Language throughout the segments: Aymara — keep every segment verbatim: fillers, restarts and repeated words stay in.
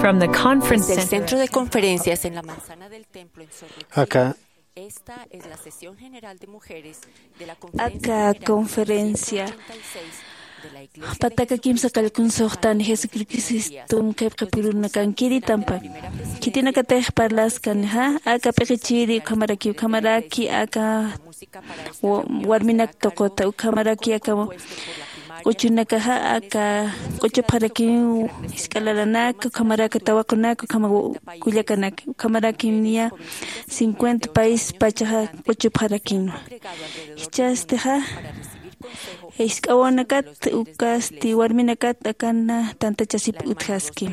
From the conference Desde el center. Centro de conferencias en la manzana del templo en Sorrento. Aka Esta es la sesión general de mujeres de la conferencia aka mundial conferencia ochenta y seis de la iglesia pataka kimsa qallqun suxtan Jesucristum qhipqipurunakankiri tampa. Khitinakatix parlaskanxa aka p'iqichiri ukhamaraki ukhamaraki aka wa- warminak tuquta ukhamaraki aka q'uchunakaxa aka q'uchupxarakiw jisk'a lalanaka ukhamaraki tawaqunaka ukhama kullakanaka ukhamaraki niya cincuenta país pachaxa q'uchupxarakinwa. Jichhastixa jisk'awanakat ukasti warminakat akana tantachasip utjaski.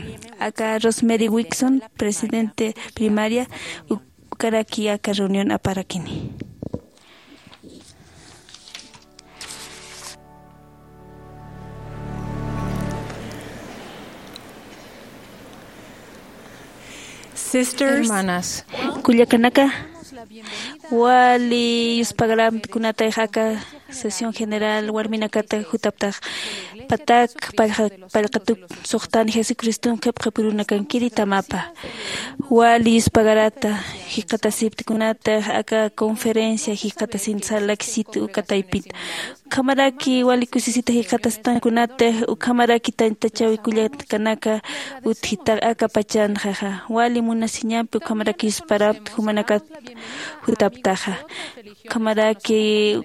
Aka Rosemary Wixon presidente primaria ukaraki aka reunión aparakini. Sisters, hermanas, kullakanaka, wali yuspagarampi kunatayxa aka sesión general warminakata jutaptax patak pallqa- pallqatuk suxtan Jesucristum qhipqipurunakankiri tamapa. Wali yuspagarata jikxatasipti kunatix aka conferencia jikxatasin sarlakisitu uka taypit. Ukhamaraki wali kusisita jikxatastan kunatix ukhamaraki tantachawi kullakanaka utjita aka pachanxaxa. Wali munasiñampi ukhamaraki yusparampi jumanakat jutaptaxa. Ukhamaraki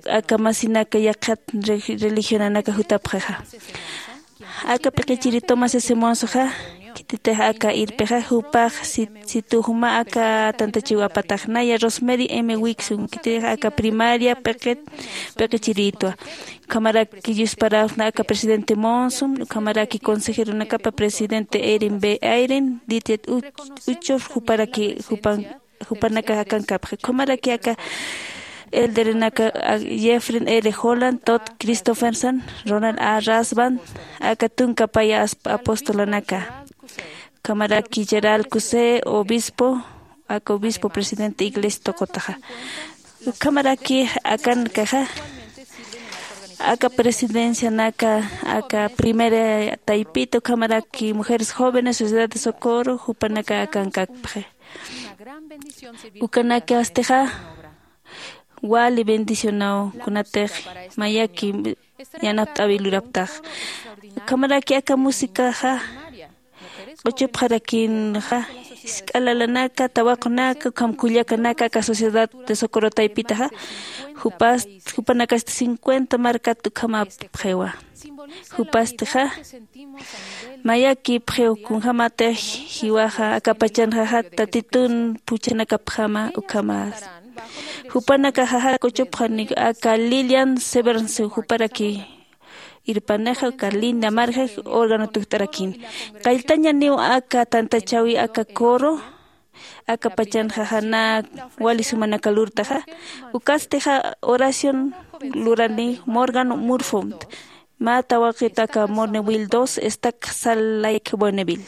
aka masinaka yaqhat re- religionanaka jutapxaxa. Aka p'iqichiri Thomas S. Monson khititix aka irpixa jupax sit- situ juma aka tantachiw apatax naya Rosemary M. Wixon khititix aka primaria p'iqit p'iqichiritwa. Ukhamaraki yusparawna aka presidente Monson ukhamaraki consejeronakapa presidente Erin B. Eyring, Dieter Uch- Uchtdorf juparaki jupan jupanaka akankapxi ukhamaraki aka elderenaka Jeffrey R. Holland, Todd Christofferson, Ronald A. Rasband, aka tunka paya as- apostolanaka ukhamaraki Gerald Cuse obispo aka obispo presidente iglesia tuqutaxa. Ukhamaraki akankaxa aka presidencianaka aka primera taypita ukhamaraki mujeres jóvenes sociedad de socorro jupanaka akankapxi. Ukanakastixa wali bendicionaw kunatix mayaki yanapt'awi luraptax. Ukhamaraki aka musicaxa q'uchupxarakinxa jisk'a lalanaka tawaqunaka ukham kullakanaka aka sociedad de socorro taypitaxa jupas jupanakasti cincuenta markat ukhamapxiwa. Jupastixa mayakipxiw kunjämatix jiwaxa aka pachanxaxa tatitun phuchhanakapjama ukhamas. Jupanakaxaxa q'uchupxani aka Lillian Severnsi juparaki irpanixa uka Linda Marjaj órgano tukt'arakini. Qalltañaniw aka tantachäwi aka coro aka pachanxaxa nä wali sumanaka lurtaxa. Ukastixa oración lurani Morgan Murphy mä tawaqit aka Bonneville dos estaca Salt Lake Bonneville.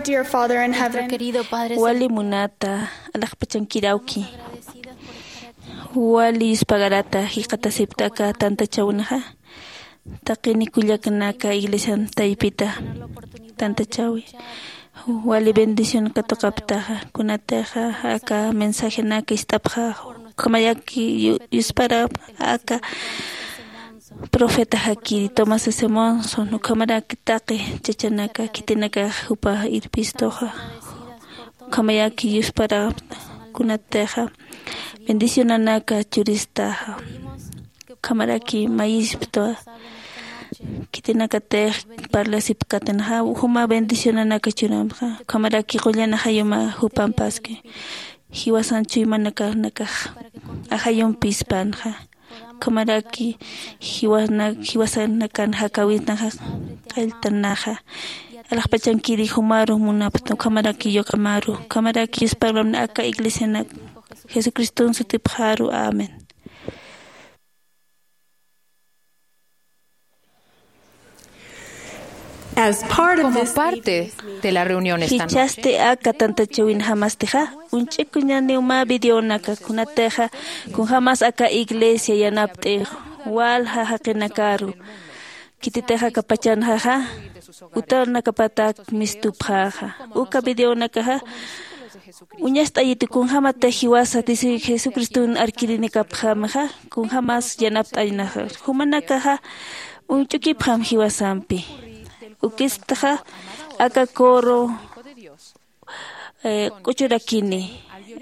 Dear Father in heaven, wali munata alaxpachankir awki, wali yuspagarata jikxatasipta aka tantachäwinxa. Taqini kullakanaka iglesian taypita tantachäwi, wali bendición katuqaptaxa kunatixa aka mensajenaka ist'apxaxa. Ukhamaraki yu- yuspara aka profeta jakiri Thomas S Monson, ukhamaraki taqi chachanaka khitinakax jupa irpistuxa. Ukhamaraki yuspara kunatixa bendicionanaka churistaxa. Ukhamaraki mayispta khitinakatix parlasipkatanxa juma bendicionanaka churamxa. Ukhamaraki qullan ajayuma jupampaski jiwasan chuymanakanakanxa ajayumpispanxa. Ukhamaraki jiwana- jiwasanakan jakawitnaxa qalltanaxa. Alaxpachankiri jumaru munapxta ukhamaraki yuqamaru ukhamaraki yusparamna aka iglesianak jesucriston sutipxaru. Amén. As part of Como this parte de la reunión esta noche. Jichhasti aka tantachäwinjamastixa uñch'ikuñaniw mä videonaka kunatixa kunjämas aka iglesia yanapt'ix walja jaqinakaru. Khititix aka pachanxaxa utanakapatak mistupxäxa uka videonakaxa uñast'ayiti kunjämatix jiwasa tisi jesucriston arkirinakapxämaxa kunjämas yanapt'añnaxa. Jumanakaxa uñch'ukipxam jiwasampi. Ukistxa aka coro eh, k'uchurakini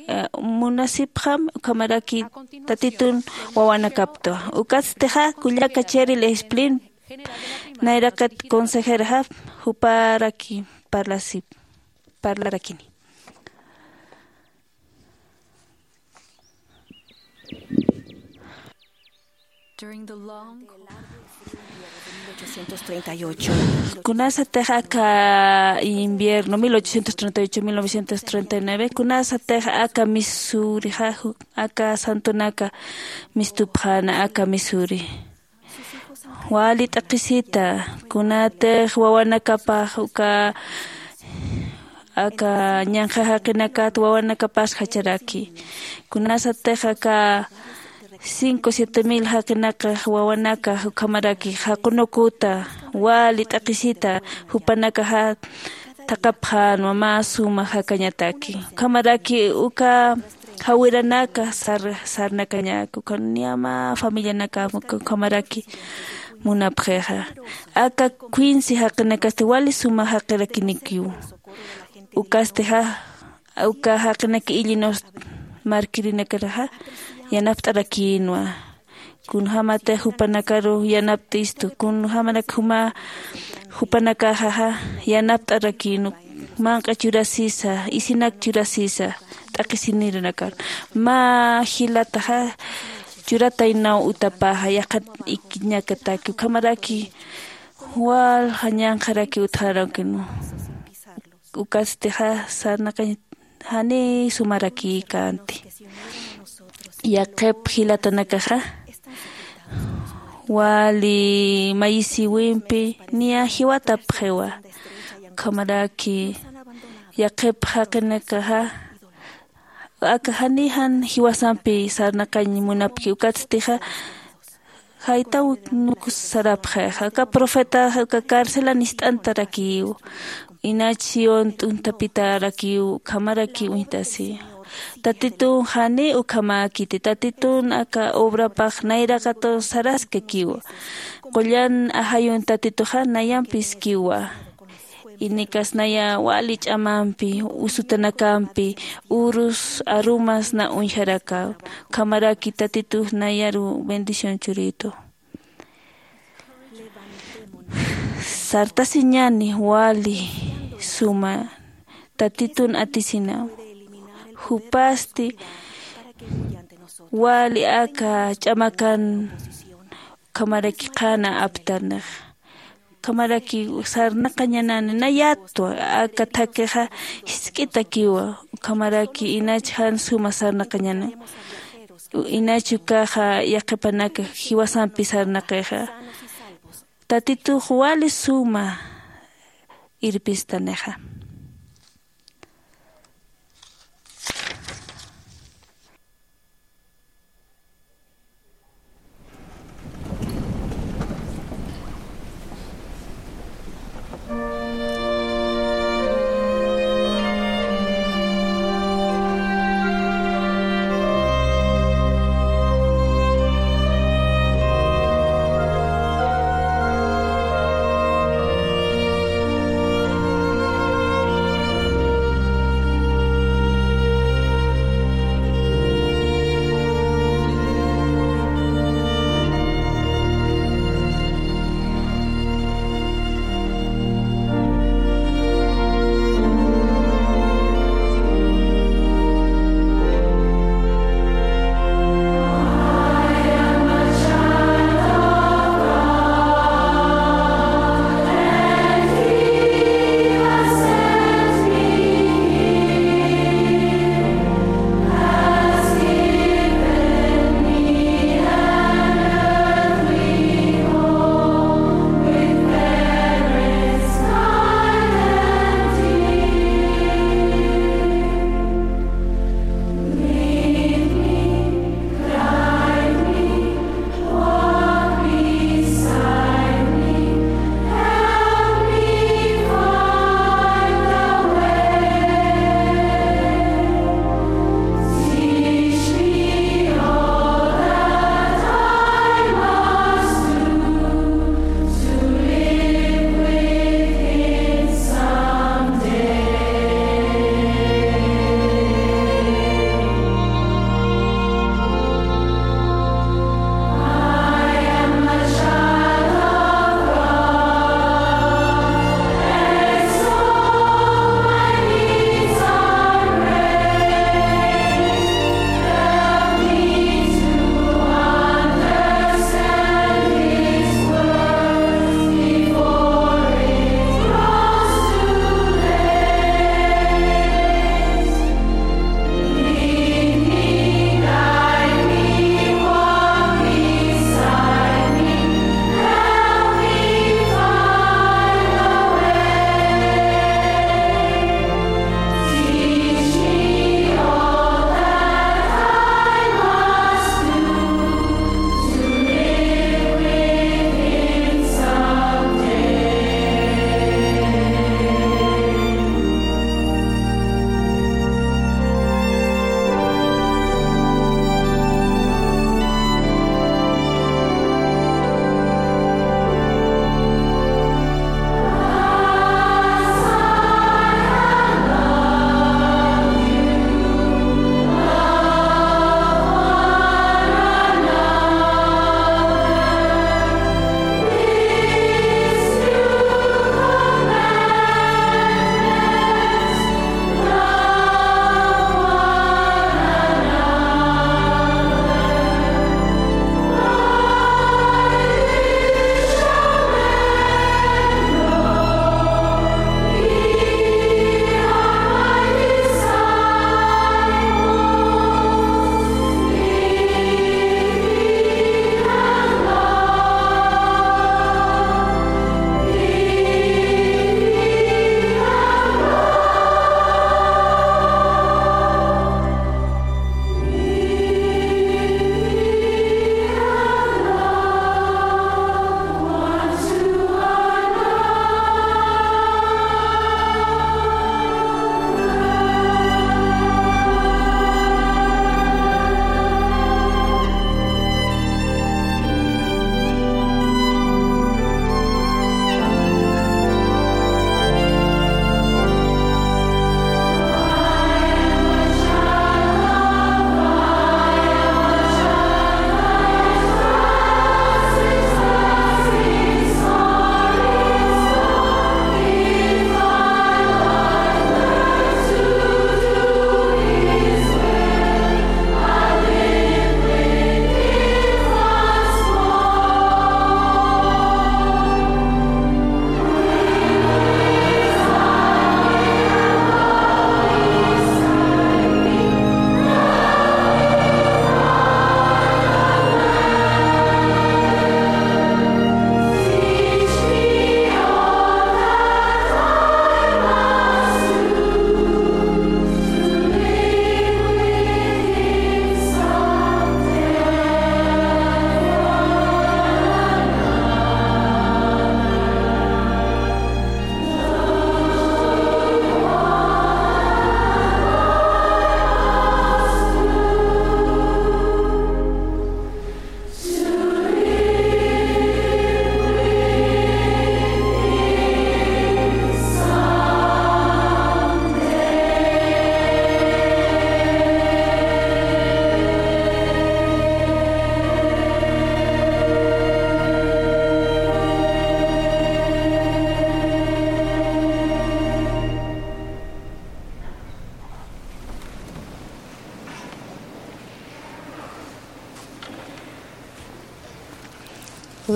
eh, munasipxam ukhamaraki tatitun wawanakaptwa. Ukatstixa kullaka Cheryl Splin nayraqat consejeraxa juparaki parlasip parlarakini. During the long, cold winter of mil ochocientos treinta y ocho, kunasatix aka invierno mil ochocientos treinta y ocho mil novecientos treinta y nueve kunasatix aka Missourixa ju- aka santonaka mistupxäna aka Missouri. Wali t'aqhisita kunatix wawanakapax uka aka ñanqha jaqinakat wawanakapas jacharaki. Kunasatix aka cinco siete mil jaqinakax wawanakax ukhamaraki jaqunukuta wali t'aqhisita jupanakaxa thaqhapxänwa mä suma jakañataki. Ukhamaraki uka jawiranaka sar- sarnakañak uka niya mä familianakam ukhamaraki munapxixa. Aka quince jaqinakasti wali suma jaqirakinikiw. Ukastixa uka jaqinak illinost markirinakaraxa yanapt'arakïnwa. Kunjämatix jupanakaru yanapt'istu kunjämanak juma jupanakaxaxa yanapt'arakïnu. Manq'a churasisa isinak churasisa t'aqhisiniranakan mä jilataxa churataynaw utapaxa yaqhan ikiñakataki ukhamaraki walja ñanqharaki utjarakïnu. Ukatstixa sarnaqañ janiy sumarakïkänti. Yaqhip jilatanakaxa wali mayisïwimpi niya jiwatapxiwa. Ukhamaraki yaqhip jaqinakaxa aka janiy jan jiwasampi sarnaqañ munapki ukatstixa jaytaw nukus sarapxixa aka profetaxa aka carcelan ist'antarakïw. Inach sión t'untapitarakiw ukhamaraki uñtasi. Tatitun janiy ukhamäkiti tatitun aka obrapax nayraqatu saraskakiw. Qullan ajayun tatituxa nayampiskiwa. Inikas naya wali ch'amampi usutanakampi urus arumas na uñjarakaw. Ukhamaraki tatitux nayaru bendición churitu. Sartasiñani wali suma tatitun atisinaw. Jupasti wali aka ch'amakan ukhamaraki qhana aptarnix. Ukhamaraki sarnaqañanani nayatwa aka thakixa jisk'itakiwa. Ukhamaraki inach jan suma sarnaqañana inach ukaxa yaqhipanaka jiwasampi sarnaqixa. Tatitux wali suma irpistanixa.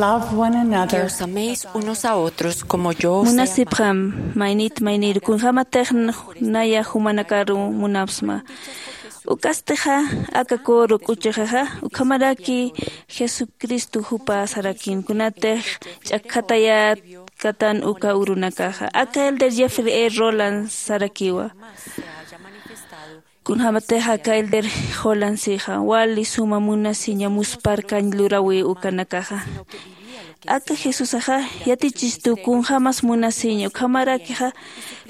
Love one another. Que os améis unos a otros como yo os he amado. Munasipxam, maynit maynir, kunjämatix naya jumanakaru munapxsma. Uk'astixa, aka coro k'uchuxixa, ukhamaraki Jesucristo jupa sarakin, kunatix ch'akjatayät katan uka urunakaxa. Aka elder Jeffrey E. Roland sarakiwa. Kunjämatix aka elder Holland sixa, wali suma munasiña muspharkañ luräwi ukanakaxa. Aka Jesusaxa yatichistu kunjämas munasiña, ukhamarakixa,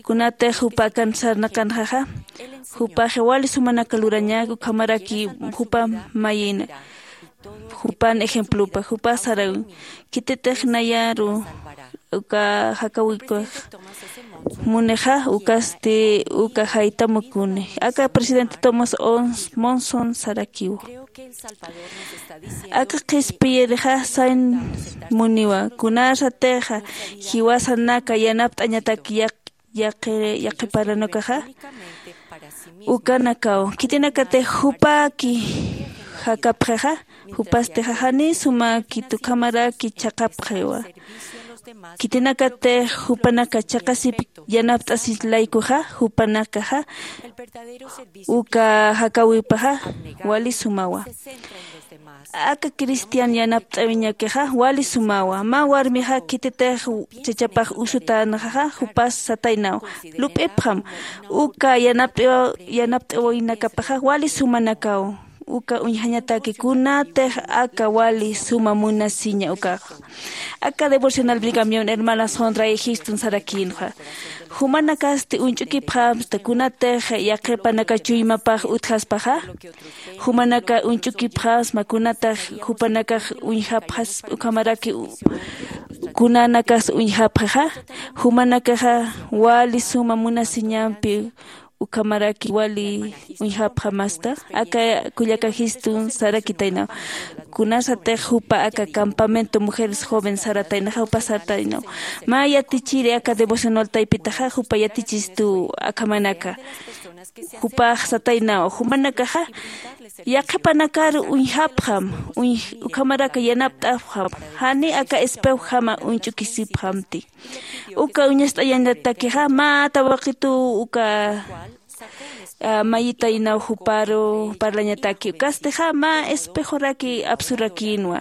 kunatix jupa akan sarnaqanxaxa, jupaxa wali sumanaka lurañak, ukhamaraki jupa mayïna. Jupan ejemplopa, jupa saräwin. Khititix nayaru uka jakäwikix munixa, ukasti uka jaytamukuni. Aka presidente Thomas Ons-, Monson sarakiw. Aka qhispiyirixa sañ muniwa, kunasatixa jiwasanaka yanapt'añatak yaq-, yaqi-, yaqhiparanakaxa, ukanakaw khitinakatix jupaki jakapxixa, jupasti jani sumakit, ukhamaraki chhaqapxiwa. Khitinakatix jupanaka chhaqasip yanapt'asir laykuxa, jupanakaxa uka jakäwipaxa wali sumawa. Aka cristian yanapt'awiñakixa wali sumawa. Mä warmixa khititix chachapax usutänxaxa, jupas sataynaw: "Lup'ipxam, uka yanapt'aw-, yanapt'awinakapaxa wali sumanakaw, uka uñjañataki kunatix aka wali suma munasiña ukaxa". Aka devocional Brigham Young hermana Sondra E. Houston sarakïnxa, jumanakasti uñch'ukipxamsta kunatix yaqhipanaka chuymapax utjaspaxa. Jumanaka uñch'ukipxasma kunatix jupanakax uñjapxaspa, ukhamaraki u-, kunanakas uñjapxixa. Jumanakaxa wali suma munasiñampi, ukhamaraki wali uñjapxamasta. Aka kullaka Houston sarakitaynaw, kunasatix jupa aka campamento mujeres joven sarataynaxa, jupa sataynaw: "Mä yatichiri aka devocional taypitaxa, jupa yatichistu akhamanaka". Jupax sataynaw: "Jumanakaxa yaqhipanakaru uñjapxam, uñ-, ukhamaraki yanapt'apxam, jani aka espejojama uñch'ukisipxamti". Uka uñast'ayañatakixa mä tawaqituw uka, a, mayitaynaw juparu parlañataki. Ukastixa mä espejoraki apsurakïnwa.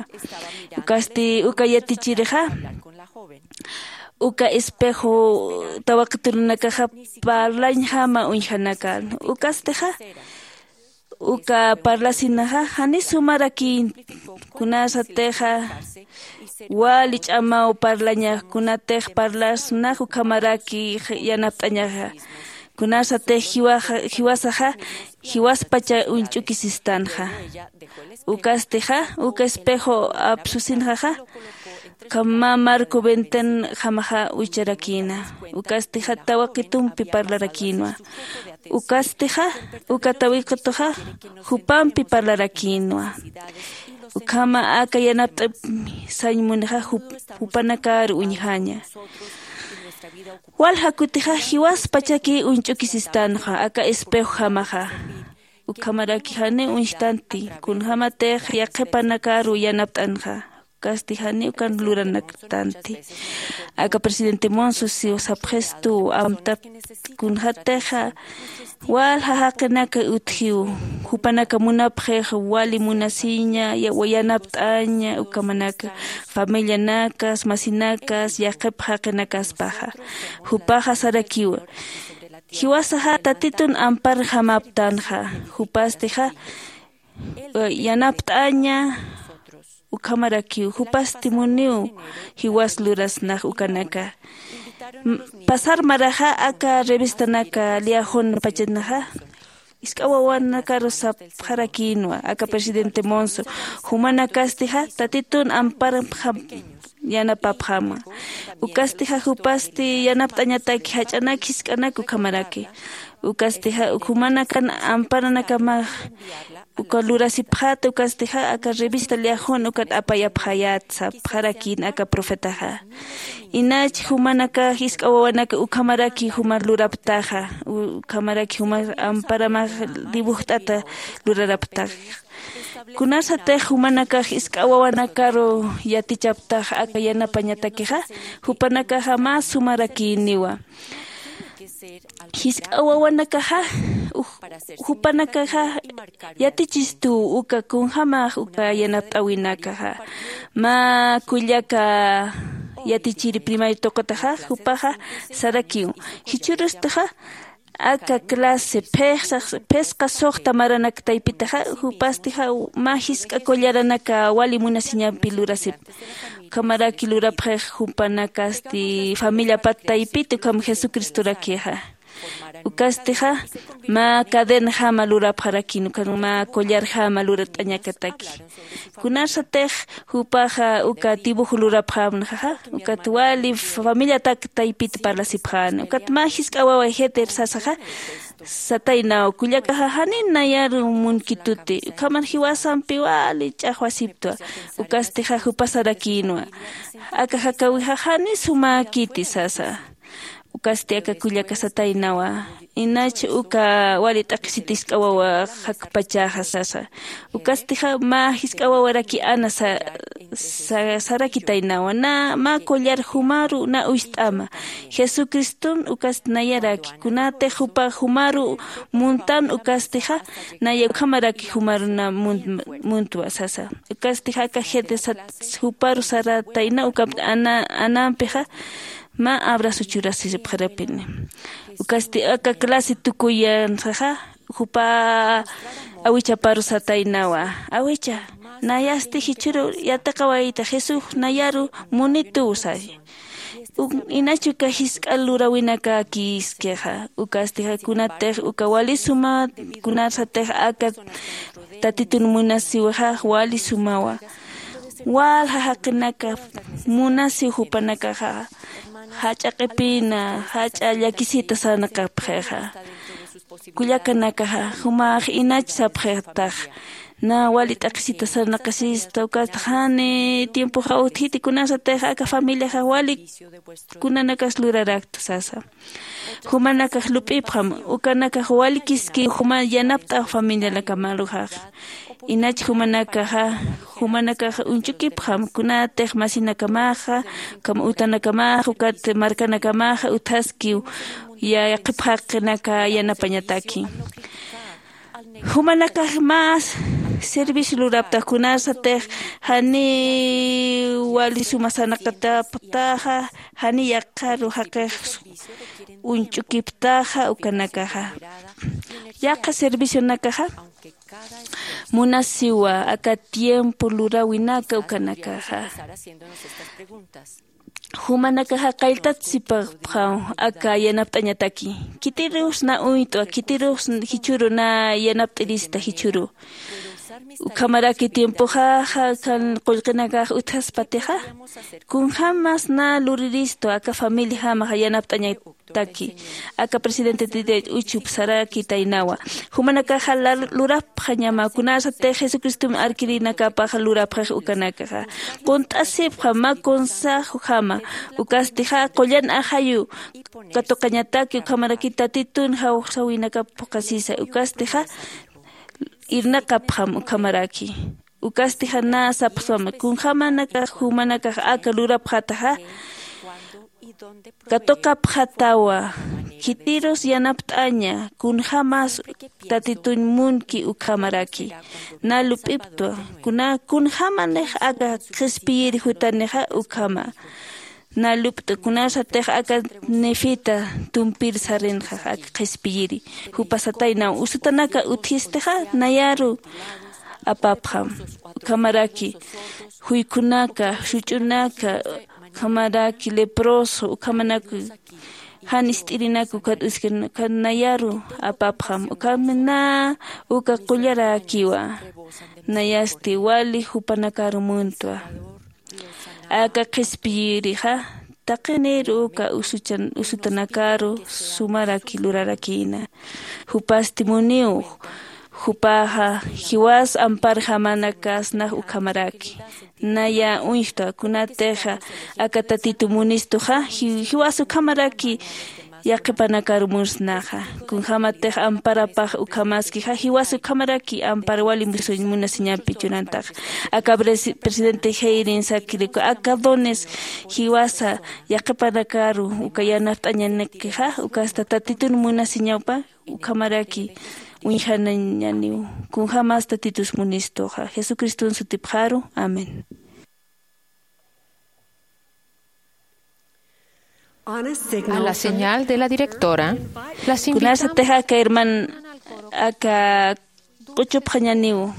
Ukasti uka yatichirixa uka espejo tawaqiturunakaxa parlañjama uñjanakan. Ukastixa uka parlasinaxa jani sumarakïn, kunasatixa wali ch'amaw parlañax, kunatix parlasnax ukhamaraki yanapt'añaxa. Kunasatix jiwaxa, jiwasaxa jiwaspacha uñch'ukisistanxa. Ukastixa uka espejo apsusinxaxa, ukham mä marco ventanjamaxa ucharakïna. Ukastixa tawaqitumpi parlarakïnwa. Ukastixa uka tawaqituxa jupampi parlarakïnwa. Ukhama aka yanapt'ap sañ munixa jup-, jupanakaru uñjaña. Walja kutixa jiwaspachaki uñch'ukisistanxa aka espejojamaxa. Ukhamaraki jani uñjtanti, kunjämatix yaqhipanakaru yanapt'anxa. Ukasti jani ukan luranaktanti. Aka presidente Monson siw sapxistu, amtap kunjätixa walja jaqinaka utjiw, jupanaka munapxix wali munasiña, ya-, yanapt'aña, ukhamanaka familianakas, masinakas, yaqhip jaqinakaspaxa. Jupaxa sarakiwa: "Jiwasaxa Tatitun amparjamaptanxa, jupastixa, eh, yanapt'aña", ukhamarakiw, jupasti muniw jiwas lurasnax ukanaka. M-, pasar maraxa aka revistanaka Liahón pachanaxa, jisk'a wawanakaru sapxarakïnwa, aka presidente Monson, jumanakastixa Tatitun amparjam yanapapxama. Ukastixa jupasti yanapt'añataki jach'anak jisk'anak ukhamaraki. Ukastixa uk jumanakan amparanakamax uka lurasipxäta, ukastixa aka revista Liahón ukat apayapxayät sapxarakïn aka profetaxa. Inach jumanaka jisk'a wawanaka ukhamaraki juma luraptaxa, u-, ukhamaraki juma amparamax dibujt'ata luraraptaxa. Kunarsatix jumanakax jisk'a wawanakaru yatichaptax aka yanapañatakixa, jupanakaxa mä sumarakïniwa. Jisk'a wawanakaxa uj- jupanakaxa yatichistuw uka kunjämax uka yanapt'äwinakaxa. Mä kullaka yatichiri primayo tuqutaxa jupaxa sarakiw, jichhürustixa aka clase phisqa suxta maranak taypitaxa, jupastixa mä jisk'a collaranaka wali munasiñampi lurasipxi. Ukhamaraki lurapxix jupanakasti familiapat taypita ukham jesucristorakixa. Ukastixa mä cadenajama lurapxarakïn ukan mä collarjama lurat'añakataki. Kunarsatix jupaxa uka dibujo lurapxämnaxaxa, ukat wali familiatak taypita parlasipxäna ukat mä jisk'a wawa jeter sasaxa, sataynaw kullakaxa janiw nayaru munkituti ukhaman jiwasampi wali ch'axwasiptwa. Ukastixa jupa sarakïnwa, aka jakäwixa janiw sumäkiti sasa. Ukasti aka kullaka sataynawa, inach uka wali t'aqhisita jisk'a wawa jakpachäxa sasa. Ukastixa mä jisk'a wawaraki ana sa- sa- sarakitaynawa, na mä collar jumaru na uyst'ama. Jesucriston ukasti nayaraki kunatix jupa jumaru muntan ukastixa, naya ukhamaraki jumaru na mun- muntwa sasa. Ukastixa aka jete sat- juparu saratayna ukampi ana- anampixa mä abrazo churasipxarapini. Ukasti aka clase tukuyansaxa jupa awichaparu sataynawa, awicha, nayasti jichhüru yatiqawayta jesús nayaru munituw saya. Inach uka jisk'a luräwinakakïskixa ukastixa kunatix uka wali suma kunarsatix aka tatitun munasiwixax wali sumawa. Walja jaqinaka munasiw jupanakaxa jach'a q'ipina jach'a llakisita sarnaqapxixa. Kullakanakaxa jumax inach sapxitax, na wali t'aqhisita sarnaqasista ukatxa jani tiempoxa utjiti kunasatix aka familiaxa wali kunanakas lurarakta sasa. Jumanakax lup'ipxam, ukanakax walikiski juma yanapt'aw familianakamaruxax. Inach jumanakaxa jumanakax uñch'ukipxam kunatix masinakamaxa ukham utanakamaxa ukat markanakamaxa utjaskiw yaqhipxaqinaka yanapañataki. Jumanakax mä servicio luraptax kunarsatix janiw wali suma sarnaqataptaxa, janiw yaqharu jaqix uñch'ukiptaxa ukanakaxa. Yaqha servicionakaxa munasiwa aka tiempo luräwinaka ukanakaxa. Jumanakaxa qalltat sipapxam aka yanapt'añataki, khitirus na uñt'wa khitirus jichhüru na yanapt'irista jichhüru. Ukhamaraki tiempoxaxa kan qullqinakax utjaspatixa, kunjämas na luriristwa aka familiajamax yanapt'añataki. Aka presidente titay uchup sarakitaynawa. Jumanakaxa lurapxañama kunarsatix jesucristom arkirinakapaxa lurapxix ukanakaxa qunt'asipxam mä consejojama. Ukastixa qullan ajayu katuqañataki ukhamaraki tatitun jawxsawinakap phuqhasisa ukastixa irnaqapxam ukhamaraki. Ukasti jana sapxswama kunjämanakax jumanakax aka lurapxataxa katuqapxatawa. Khitirus yanapt'aña kunjämas tatituñ munki ukhamaraki. Na lup'iptwa kuna kunjämanix aka qhispiyiri jutanixa ukhama. Na lup't'u kunasatix aka nefita tumpir sarinxa aka qhispiyiri. Jupa sataynaw usutanaka utjistixa nayaru apapxam. Ukhamaraki juykhunaka, such'unaka, ukhamaraki leproso ukhamanaka jan ist'irinaka ukat uskirina ukat nayaru apapxam. Ukham na uka qullarakiwa. Nayasti wali jupanakaru muntwa. Aka qhispiyirixa taqinir uka usutanakaru sumaraki lurarakïna. Jupasti muniw. Jupaxa jiwas amparjamanakasnax ukhamaraki. Naya uñjtwa kunatixa aka tatitu munistuxa jiwas ukhamaraki yaqhipanakaru munsnaxa. Kunjämatix amparapax ukhamaskixa, jiwasa ukhamaraki ampar wali musuñ munasiñampi churantaxa. Aka presi-, presidente Heyrin sakiriku, aka dones jiwasa yaqhipanakaru uka yanapt'añanikixa, ukasta Tatitun munasiñawpa, ukhamaraki uñjanañaniw. Kunjämas Tatitus munistuxa. Jesucriston sutipxaru. Amén. A la señal de la directora, las invitamos. Kunasatix aka herman, aka q'uchupxañaniw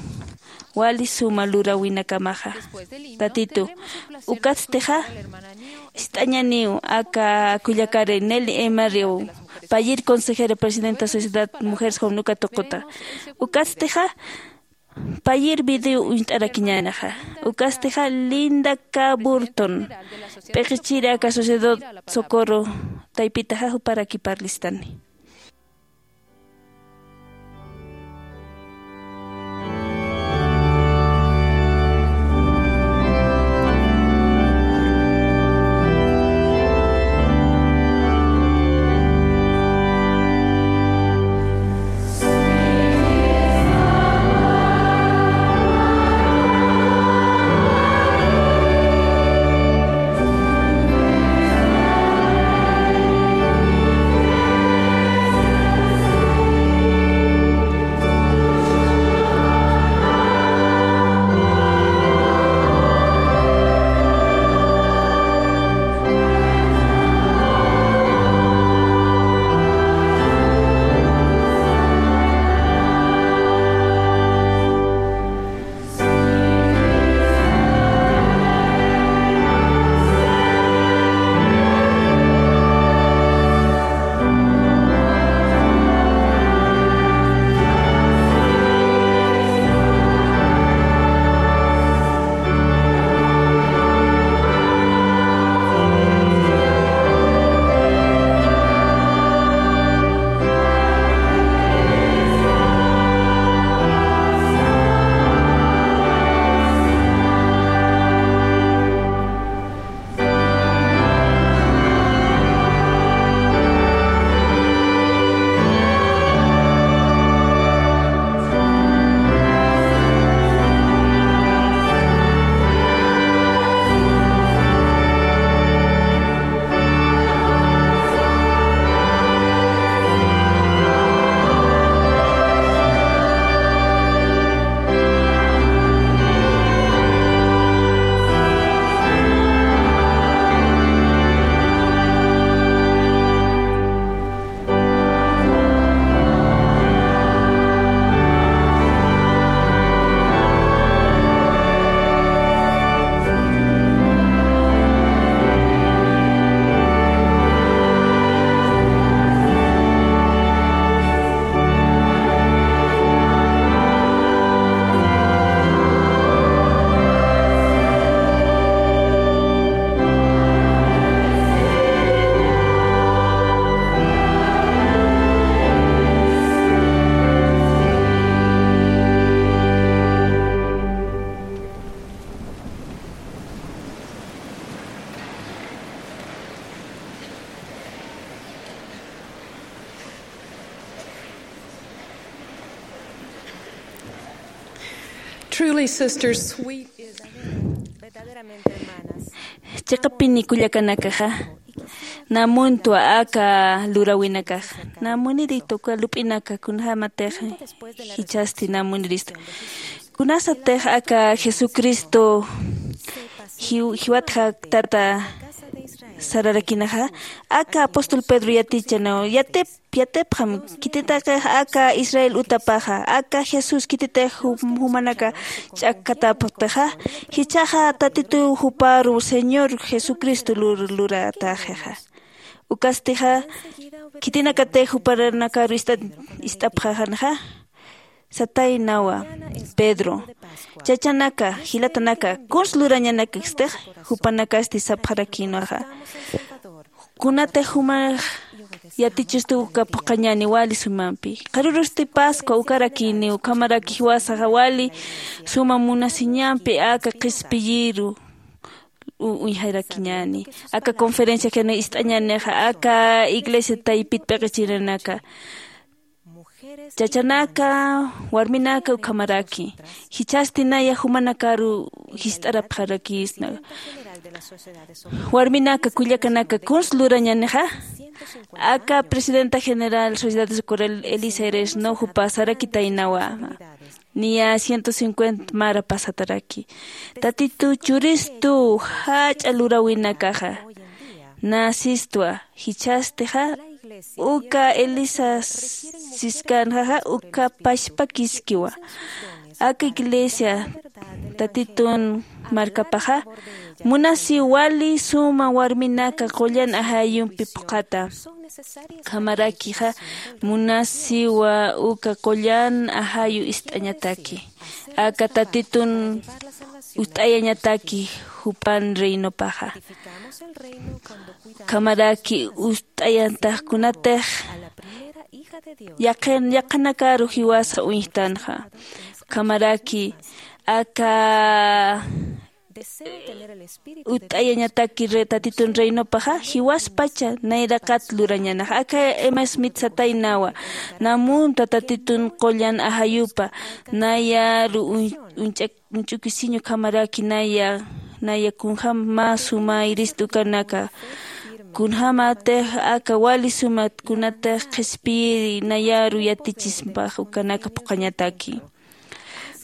wali suma luräwinakamaxa. Tatitu, ukatstixa ist'añaniw aka kullakari Nelly Emery, payïr consejera presidenta Sociedad Mujeres Joven uka tuquta. Ukatstixa payïr video uñt'arakiñänixa. Ukastixa Linda K. Burton, p'iqichiri aka Sociedad Socorro taypitaxa, juparaki parlistani. Truly, sisters, sweet is verdaderamente, hermanas. Chiqapini kullakanakaxa, namuntwa aka luräwinakaxa, namuniritu aka lup'inaka kunjämatix jichhasti namuniristu. Kunasatix aka Jesucristo jiw-, jiwatxa tata sararakinaxa, aka apóstol Pedro yatichanaw, yatip-, yatipxam, khititaqix aka Israel utapaxa, aka Jesús khititix jum-, jumanaka ch'akkatapxtixa, jichhaxa Tatitu juparu Señor Jesucristo lur-, luratäxixa. Ukastixa, khitinakatix jupanakaru ist'a-, ist'apxaxanxa, sataynawa, Pedro, chachanaka, jilatanaka, kuns lurañanakakstix, jupanakasti sapxarakïnwaxa. Kunatix jumax yatichistu uka phuqhañäni wali sumampi. Qharürusti Pascua ukarakïni, ukhamaraki jiwasaxa wali suma munasiñampi aka qhispiyiru uñjarakiñäni. Aka conferencia janiw ist'añänixa aka iglesia taypit p'iqichirinaka, chachanaka, warminaka ukhamaraki. Jichhasti naya jumanakaru jist'arapxarakïsna. Warminaka, kullakanaka, kuns lurañänixa? Aka presidenta general sociedad de socorro elisa eres no jupa sarakitaynawa, niya ciento cincuenta mara pasataraki. Tatitu churistu jach'a luräwinakaxa nä sistwa. Jichhastixa uka elisa siskanxaxa uka pachpakiskiwa. Aka iglesia tatitun markapaxa munasiw wali suma warminaka qullan ajayumpi phuqhata. Ukhamarakixa munasiwa uka qullan ajayu ist'añataki aka tatitun utt'ayañataki jupan reinopaxa. Ukhamaraki utt'ayantax kunatix yaqhanakaru jiwasa uñjtanxa. Ukhamaraki aka utt'ayañataki tatitun reinopaxa jiwaspacha nayraqat lurañänaxa. Aka emma smith sataynawa, namunta tatitun qullan ajayupa nayaru uñch'ukisiñ ukhamaraki naya, naya kunjäm mä suma irist ukanaka, kunjämatix aka wali sumat kunatix qhispiyiri nayaru yatichispax ukanaka phuqhañataki.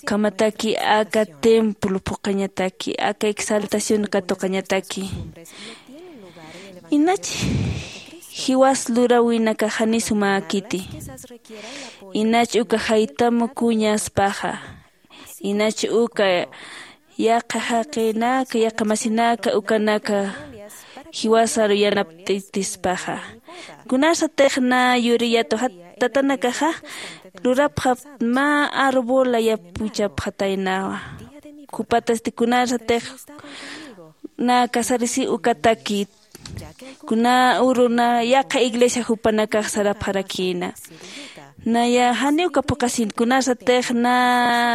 Ukhamataki aka templo phuqhañataki aka exaltación katuqañataki. Inach jiwas luräwinakax janiw sumäkiti. Inach uka jaytam kuñaspaxa, inach uka yaqha jaqinaka yaqha masinaka ukanaka jiwasaru yanapt'atispaxa. Kunasatix nä yuriyätwa tatanakaxa lurapxapxta mä arbola yapuchapxataynawa. Jupatasti kunasatix nä casarisi ukataki kuna uru nä yaqha iglesia jupanakax sarapxarakïna. Naya janiw uka phuqhasin kunasatix nä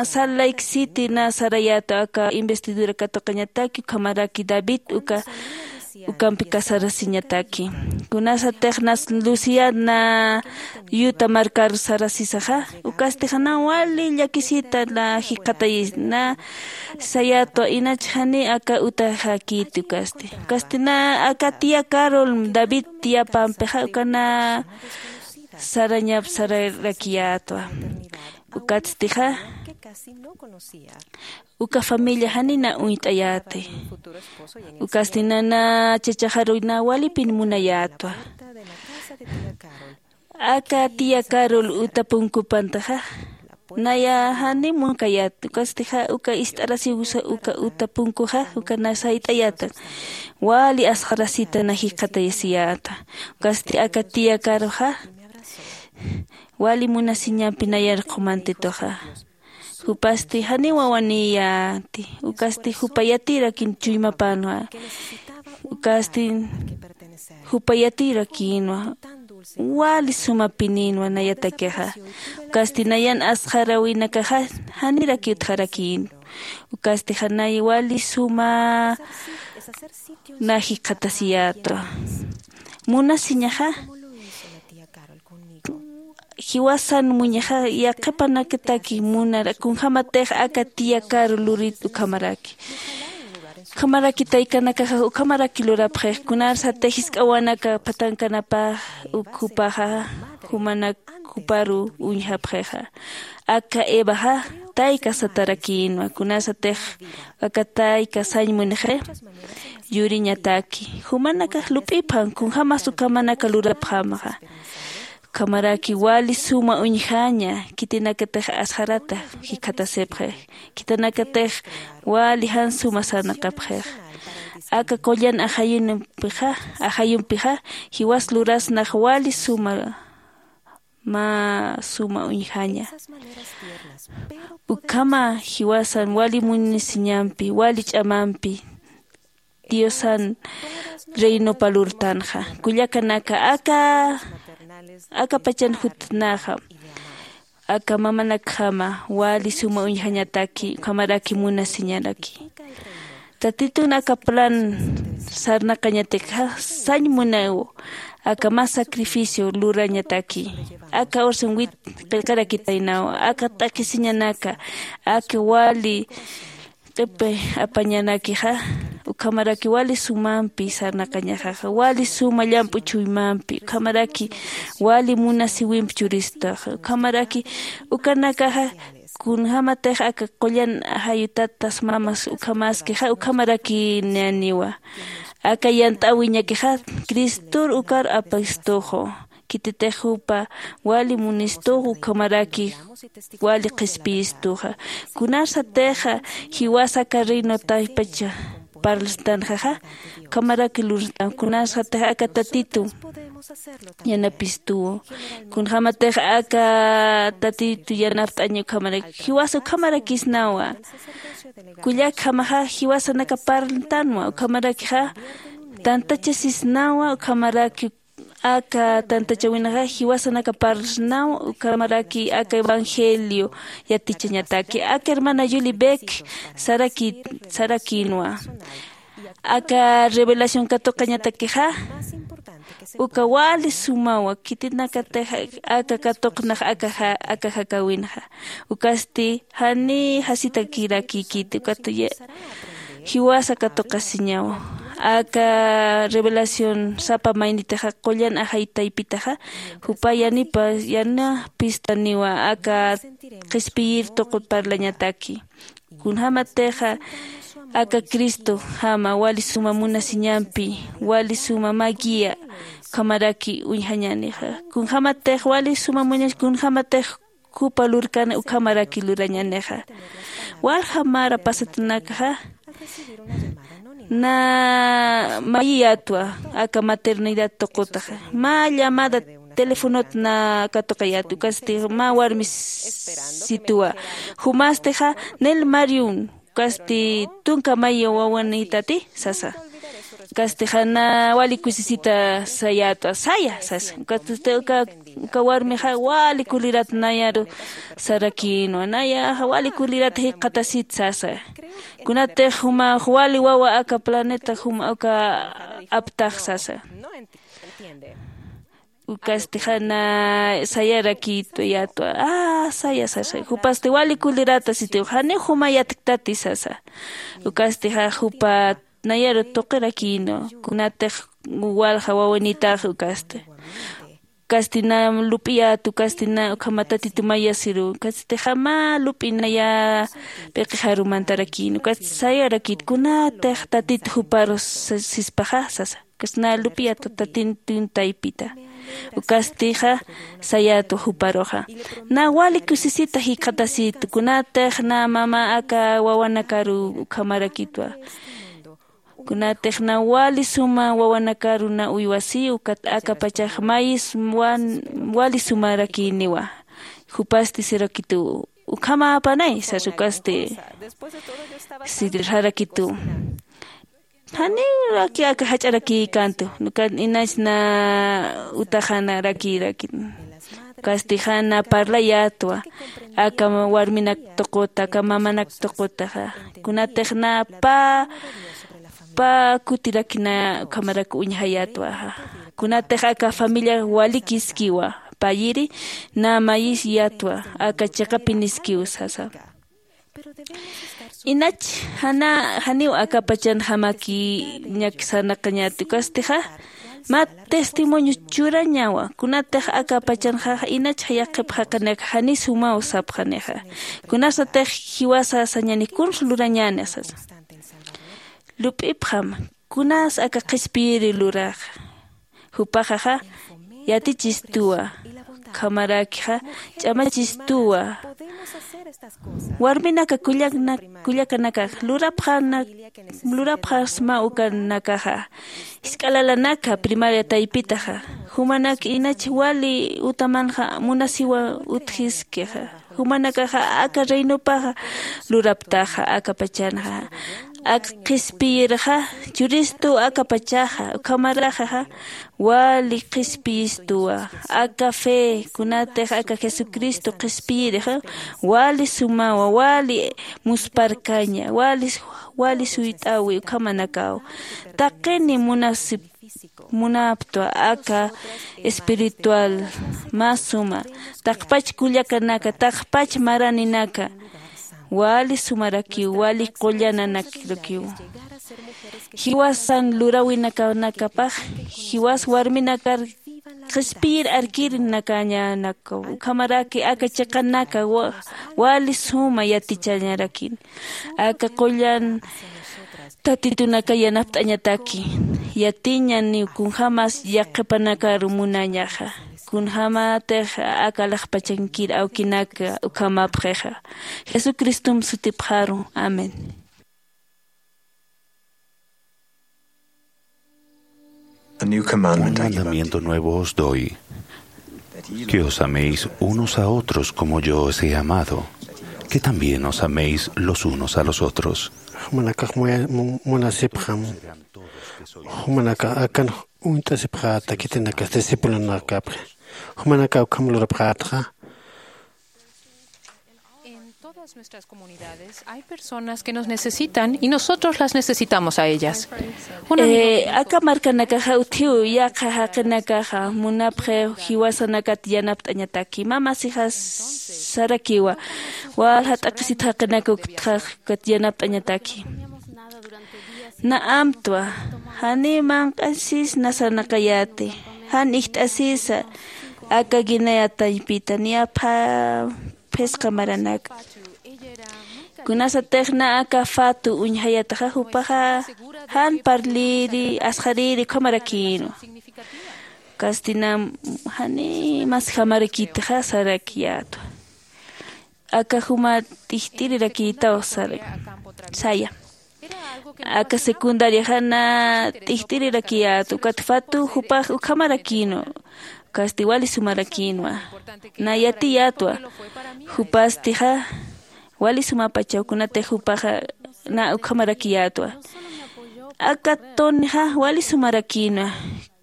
salt lake city nä sarayätwa aka investidura katuqañataki ukhamaraki david uka ukampi casarasiñataki. Kunasatix nä lucia nä yuta markar sarasisaxa ukastixa nä wali llakisita nä jikxatayis nä sayätwa inach janiw aka utaxäkiti ukasti ukasti nä aka tía carol david tiyapampixa uka nä sarañap sararakiyätwa. Ukatstixa uka familia janiw nä uñt'ayäti. Ukasti nä nä chachaxaruy nä walipin munayätwa. Aka tía carol uta punkupantaxa naya janiw munkayät ukastixa uka ist'arasiwsa uka uta punkuxa uka nä sayt'ayätan. Wali asxarasita nä jikxatayasiyäta. Ukasti aka tía caroxa wali munasiñampi nayar qhumantituxa. Jupasti janiw wawanïyäti ukasti jupa yatïrakin chuymapänwa. Ukasti jupa yatïrakïnwa wali sumapinïnwa nayatakixa. Ukasti nayan asxaräwinakaxa janirakiw utjarakïnwa. Ukasti janay wali suma nä jikxatasiyätwa. Munasiñaxa jiwasan muñaxa yaqhipanakataki munara kunjämatix aka tía carol lurit ukhamaraki. Ukhamaraki taykanakaxa ukhamaraki lurapxix kunasatix jisk'awanaka phatankanapä uk jupaxa jumanak juparu uñjapxixa. Aka evaxa tayka satarakïnwa kunasatix aka tayka sañ munixi yuriñataki jumanakax lup'ipxam kunjämas ukhamanaka lurapxämaxa. Ukhamaraki wali suma uñjaña khitinakatix asxarata jikxatasipxix. Khitinakatix wali jan suma sarnaqapxix. Aka qullan ajayunpixa ajayumpixa jiwas lurasnax wali suma mä suma uñjaña. Ukhama jiwasan wali munisiñampi wali ch'amampi diosan reinopa lurtanxa. Kullakanaka aka aka pachan jutnaxa aka mamanakjama wali suma uñjañataki ukhamaraki munasiñaraki. Tatitun aka plan sarnaqañatakxa sañ munaw, aka mä sacrificio lurañataki. Aka ursun wit qillqarakitaynaw, aka t'aqhisiñanaka, aka wali q'ipi apañanakixa, ukhamaraki wali sumampi sarnaqañaxaxa, wali suma llamp'u chuymampi, ukhamaraki wali munasiwimpi churistaxa, ukhamaraki ukanakaxa kunjämatix aka qullan ajayu tatas mamas ukhamaskixa, ukhamarakinaniwa. Aka yant'äwiñakixa Cristor ukar apistuxu. Khititix jupa wali munistuxu, ukhamaraki wali qhispiyistuxa. Kunarsatixa jiwasa aka reino taypacha parlstanxaxa, ukhamaraki lurstan. Kunarsatixa aka Tatitu yanapistuwa. Kunjämatix aka Tatitu yanapt'aña ukhamaraki, jiwasa ukhamarakisnawa. Kullakjamaxa jiwasanaka parltanwa, ukhamarakixa tantachasisnawa, ukhamaraki aka tantachäwinxa jiwasanaka parlsnawa, ukhamaraki aka evangelio yatichañataki. Aka hermana Julie Beck saraki, sarakïnwa. Aka revelación katuqañatakixa, uka wali sumawa, khitinakatix aka katuqnax aka ja-, aka jakäwinxa. Ukasti jani jasitakirakïkiti, ukat ya-, jiwasa katuqasiñaw. Aka revelación sapa maynitixa qullan ajay taypitaxa, jupa yanipa, yanapistaniwa aka qhispiyir tuqut parlañataki. Kunjämatixa aka Cristojama wali suma munasiñampi, wali suma mä guía, ukhamaraki uñjañänixa. Kunjämatix wali suma munas, kunjämatix jupa lurkana ukhamaraki lurañänixa. Walja mara pasatanakaxa na mayiyätwa aka maternidad tuqutaxa. Mä llamada telefonot na katuqayät, ukasti mä warmi situwa. Jumastixa nel Mariun, ukasti tunka mayi wawanïtati sasa. Ukasti jana wali kusisita sayätwa, saya sasa. Ukasti uka, uka warmixa wali kulirat nayaru sarakïnwa, nayaxa wali kulirat jikxatasit sasa. Kunatix jumax wali wawa aka planeta juma uka aptax sasa. Ukasti jana sayarakïtwa yätwa, ah, saya sasa. Jupasti wali kulirata sitiw, janiw juma yatktati sasa. Ukasti ja jupa nayaru tuqirakïnwa, kunatix walja wawanïtax ukasti. Ukasti na lup'iyät, ukasti na ukhama Tatitu mayasiru, ukasti jama lup'i naya p'iqixaru mantarakïn, ukasti sayarakït, kunatix Tatitu juparu sa-, sispaxa sasa. Ukasti na lup'iyät Tatitun taypita. Ukastixa sayätwa juparuxa. Na wali kusisita jikxatasit, kunatix na mama aka wawanakaru ukhamarakïtwa. Kunatix na wali suma wawanakaru na uywasi, ukat aka pachax mayis wan-, wali sumarakïniwa. Jupasti sirakitu, ukhamäpanay, sas ukasti sirirakitu. Janiw raki aka jach'arakïkäntu, ukat inach na utaxanarakïrakïn. Ukasti jana parlayätwa, aka warminak tuquta, aka mamanak tuqutaxa. Kunatix na pä, pä kutirakina ukhamarak uñjayätwa. Kunatix aka familia walikiskiwa, payiri na mayisiyätwa, aka chiqapiniskiw sasa. Inach jana, janiw aka pachanjamaki ñak sarnaqañäti, ukastixa mä testimonio churañawa, kunatix aka pachanjaxa inach yaqhip jaqinaka jani sumaw sapxanixa. Kunasatix jiwasa sañäni kuns lurañäni sasa. Lup'ipxam, kunas aka qhispiyiri luraxa. Jupaxaxa yatichistuwa, ukhamarakixa ch'amachistuwa. Warminaka kullakna-, kullakanakax lurapxana-, lurapxasma ukanakaxa. Jisk'a lalanaka primaria taypitaxa. Jumanak inach wali utamanxa munasiwa utjiskixa. Jumanakaxa aka reinopaxa luraptaxa, aka pachanxa. Ak qhispiyirxa churistu aka pachaxa, ukhamaraxa wali qhispiyistuwa. Aka fe, kunatix aka Jesucristo qhispiyirixa wali sumawa, wali musparkaña, wali, wali suyt'awi ukhamanakaw. Taqini munasip munaptwa aka espiritual mä suma, taqpach kullakanaka, taqpach maraninaka, wali sumarakiw, wali qullananakirakiw. Jiwasan luräwinakanakapax, jiwas warminakar qhispiyir arkirinakañanakaw, ukhamaraki aka chiqanaka wa-, wali suma yatichañarakin. Aka qullan Tatitunaka yanapt'añataki, yatiñaniw kunjämas yaqhipanakaru munañaxa, kunjämatix aka alaxpachankir awkinaka ukhamapxixa. Jesucristom sutipxaru. Amén. A new commandment I give unto you, Un mandamiento nuevo os doy, que os améis unos a otros como yo os he amado, que también os améis los unos a los otros. Jumanakax muya-, mu-, munasipxam. Jumanakax akan uñt'asipxäta khitinakas discipulonakapxi. Jumanakax ukham lurapxätxa. En todas nuestras comunidades hay personas que nos necesitan y nosotros las necesitamos a ellas. Un amigo Eh, me dijo, aka markanakaxa utjiw yaqha jaqinakaxa munapxi jiwasanakat yanapt'añataki. Mä masixas sarakiwa, walja t'aqhisit jaqinaka ukat yanapt'añataki. Na amtwa, janiw manq'asis nasanakayäti, jan ijt'asisa aka Guinea taypita, niya pha-, phisqa maranaka. Kunasatix na aka Fatu uñjayataxa, jupaxa jan parliri, asqhariri ukhamarakïnwa. Ukasti na janiw masjamarakitixa sarakiyätwa. Aka juma t'ijt'irirakïtaw sara-, saya. Aka secundariaxa na t'ijt'irirakiyät, ukat Fatu jupax ukhamarakïnwa, ukasti wali sumarakïnwa. Na yatiyätwa, jupastixa wali sumapachaw, kunatix jupaxa na ukhamarakiyätwa. Aka Tonyxa wali sumarakïnwa,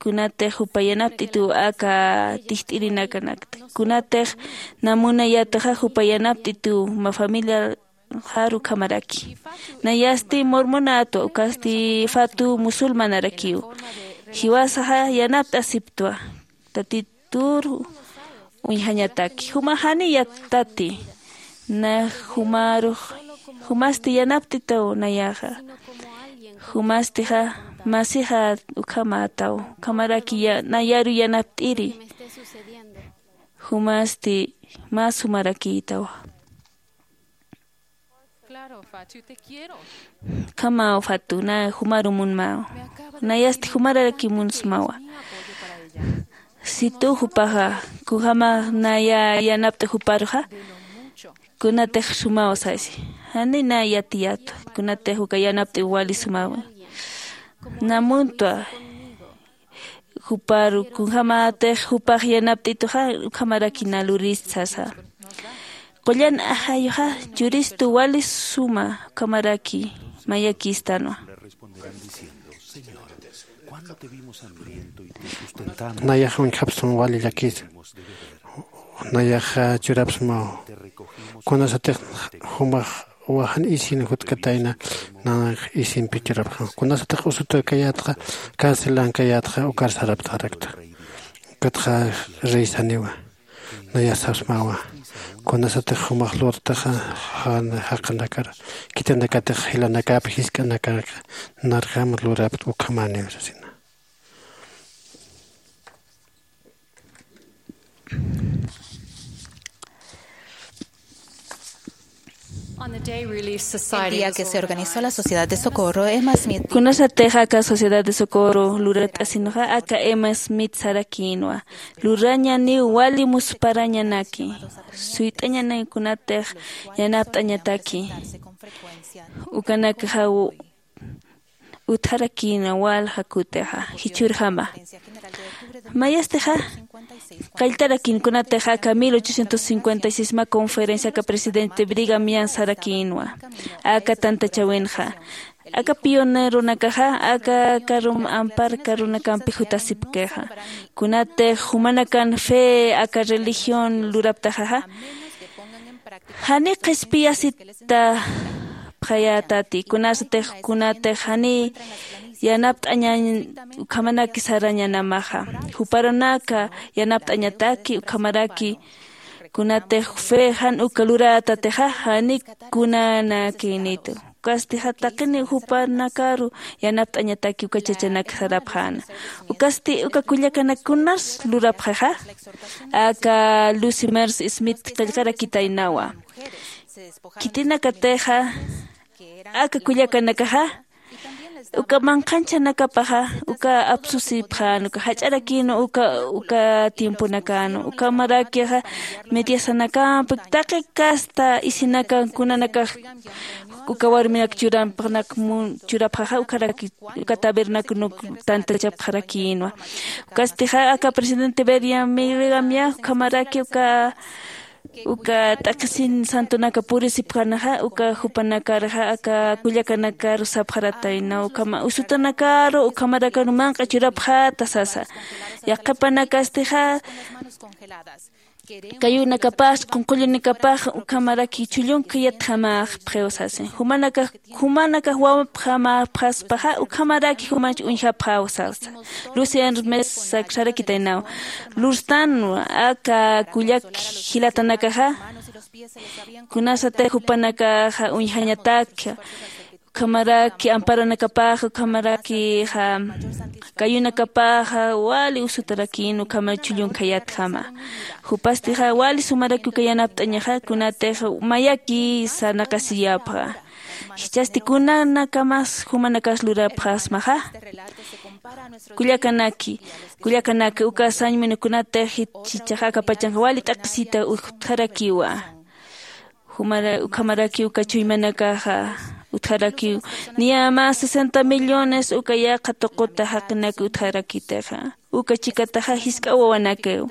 kunatix jupa yanapt'ituw aka t'ijt'irinakanak, kunatix na munayätaxa jupa yanapt'ituw mä familiaxar ukhamaraki. Nayasti mormonätwa, ukasti Fatu musulmanarakiw. Jiwasaxa yanapt'asiptwa. Tatitur uñjañataki. Juma jani yattati. Na jumarux, jumasti yanapt'itaw nayaxa. Jumastixa masixa ukhamätaw. Ukhamaraki ya-, nayaru yanapt'iri. Jumasti mä sumarakïtawa. Ukhamaw Fatu, na jumaru munmaw. Nayasti jumararaki munsmawa. Situ jupaxa, kunjama naya yanapt'i juparuxa, kunatix sumaw sasi. Jani na yatiyätwa, kunatix uka yanapt'i wali sumawa. Na muntwa, juparu, kunjämatix jupax yanapt'ituxa, ukhamaraki na lurist sasa. Qullan ajayuxa churistu wali suma, ukhamaraki mayakïstanwa. Nayax uñjapxsma wali llakis. Nayax churapxsmaw. Kunasatix jumax wajan isin jutkatayna, nax isimpi churapxam. Kunasatix usutakayätxa, carcelankayätxa, ukar sarapxarakta. Ukatxa rey saniwa. Nayax sapxsmawa. Kunasatix jumax lurtaxa, jan jaqinakar, khitinakatix jilanakap, jisk'anakar, narjam lurapxta ukhamäniw sasina. El día que se organizó la Sociedad de Socorro, Emma Smith. Kunasatix aka Sociedad de Socorro lurt'asinxa, aka Emma Smith sarakïnwa. Lurañaniw wali musparañanaki. Suyt'añanaki kunatix yanapt'añataki. Ukanakxa utjarakïna walja kutixa, jichhürjama. Mayastixa, qalltarakïn kunatix aka mil ochocientos cincuenta y seis mä conferencia aka presidente Brigham Young sarakïnwa, aka tantachäwinxa, Aka pioneronakaxa aka karum ampar karunakampi jutasipkixa. Kunatix jumanakan fe aka religión luraptaxaxa, jani qhispiyasitapxayätati, kunasatix kunatix jani yanapt'añañ ukhamanaki sarañanamaxa. Juparanaka yanapt'añataki ukhamaraki kunatix fe jan uka lurätatixa jani kunanakinitu. Ukastixa taqini jupanakaru yanapt'añataki uka chachanak sarapxäna. Ukasti uka kullakanak kunas lurapxixa, aka lucy mers smith qillqarakitaynawa. Khitinakatixa aka kullakanakaxa uka manqhanchanakapaxa uka apsusipxän uka jach'arakïnwa uka uka tiemponakänwa ukhamarakixa mediasanakampi taqi kasta isinakan kunanakax uka warminak churampxanak churapxaxa ukharaki uka tabernacunuk tantachapxarakïnwa. Ukastixa aka presidente beriam mirigamya ukhamaraki uka uka t'aqhisin santonaka purisipxänaxa uka jupanakaraxa aka kullakanakaru sapxaratayna ukhama usutanakaru ukhamarakaru manq'a churapxäta sasa. Yaqhipanakastixa kayunakapax qunqullunakapax ukhamaraki chhullunka yatjamaxpxiw sasi. Jumanakax jumanakax wawapxamapxaspaxa ukhamaraki jumanch uñjapxäw sasa. Lucy hermes sarakitaynaw lurstanwa aka kullak jilatanakaxa kunasatix jupanakaxa uñjañatakxa ukhamaraki amparanakapaxa ukhamarakixa kayunakapaxa wali usutarakïn ukhama chhullunka yatjama. Jupastixa wali sumaraki uka yanapt'añaxa kunatix mayaki sarnaqasiyapxa. Jichhasti kunanakamas jumanakas lurapxasmaxa kullakanaki kullakanaka uka sañmina kunatix jichhaxa aka pachanxa wali t'aqhisita utjarakiwa. Jumara ukhamaraki uka chuymanakaxa utjarakiw niya mä sesenta millones uka yaqha tuquta jaqinaka utjarakitixa uka chikataxa jisk'a wawanakiw.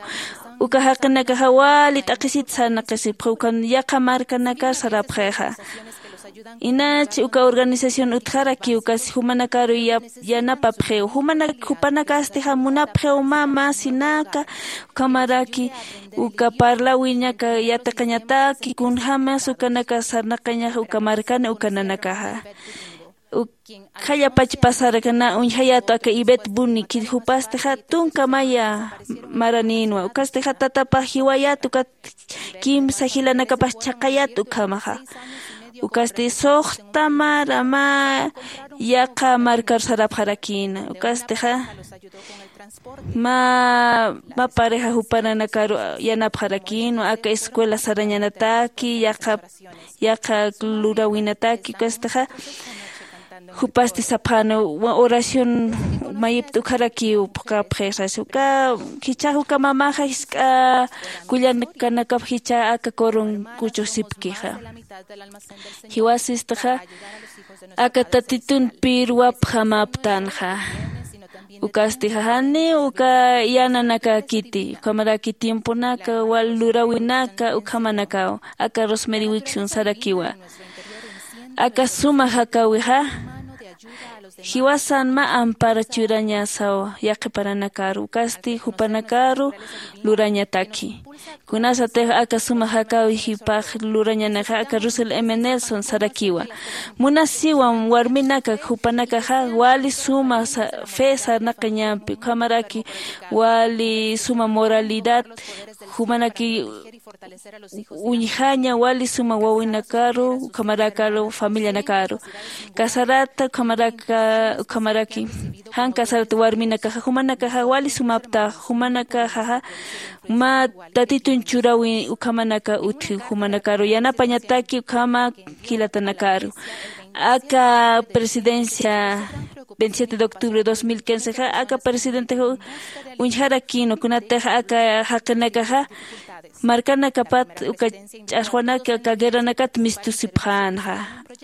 Uka jaqinakaxa wali t'aqhisit sarnaqisipxi ukan yaqha markanakar sarapxixa. Inach uka organización utjarakiw kasi jumanakaru yanapapxiw jupanakastixa munapxiw mä mäsinaka ukhamaraki uka parlawinaka yatiqañataki kunjämas ukanaka sarnaqañaxa uka markana uka nanakaxa. Ukkhallapach pasarkana uñjayätu aka ibet buni khit jupastixa tunka maya maranïnwa ukastixa tatapax jiwayät ukat kimsa jilanakapax chhaqhayät ukhamaxa. Ukasti suxta mara mä yaqha markar sarapxarakïna ukastixa mä mä pareja jupananakaru yanapxarakïnwa aka escuela sarañanataki yaqha yaqha luräwinataki ukastixa jupasti sapxäna oración mayipta ukharakiw phuqhapxisas uka jichhax uka mamaxa jisk'a kullakanakap jichha aka corunkuchusipkixa. Jiwasistixa aka tatitun pirwapxamaptänxa. Ukastixa janiw uka yananakakiti ukhamaraki tiemponaka wal luräwinaka ukhamanakaw aka rosemary wiksun sarakiwa. Aka suma jakäwixa jiwasan mä ampara churañasaw yaqhiparanakar ukasti jupanakaru lurañataki. Kunasatix aka suma jakäwi jipax lurañanixa aka russell m nelson sarakiwa. Munasiwam warminaka jupanakaxa wali suma fe sarnaqañampi ukhamaraki wali suma moralidad jumanaki uñjaña wali suma wawinakaru ukhamarakaru familianakaru casarata ukhamaraki jan casarata warminakaxa jumanakaxa wali sumaptax jumanakaxaxa mä tatitun churawi ukhamanaka utji jumanakaru yanapañataki ukhama jilatanakaru. Aka presidencia veintisiete de octubre dos mil quince ja aka presidente ja uñjarakïnwa kunatix aka jaqinakaxa markanakapat uka ch'axwanaki aka guerranakat mistusipxänxa.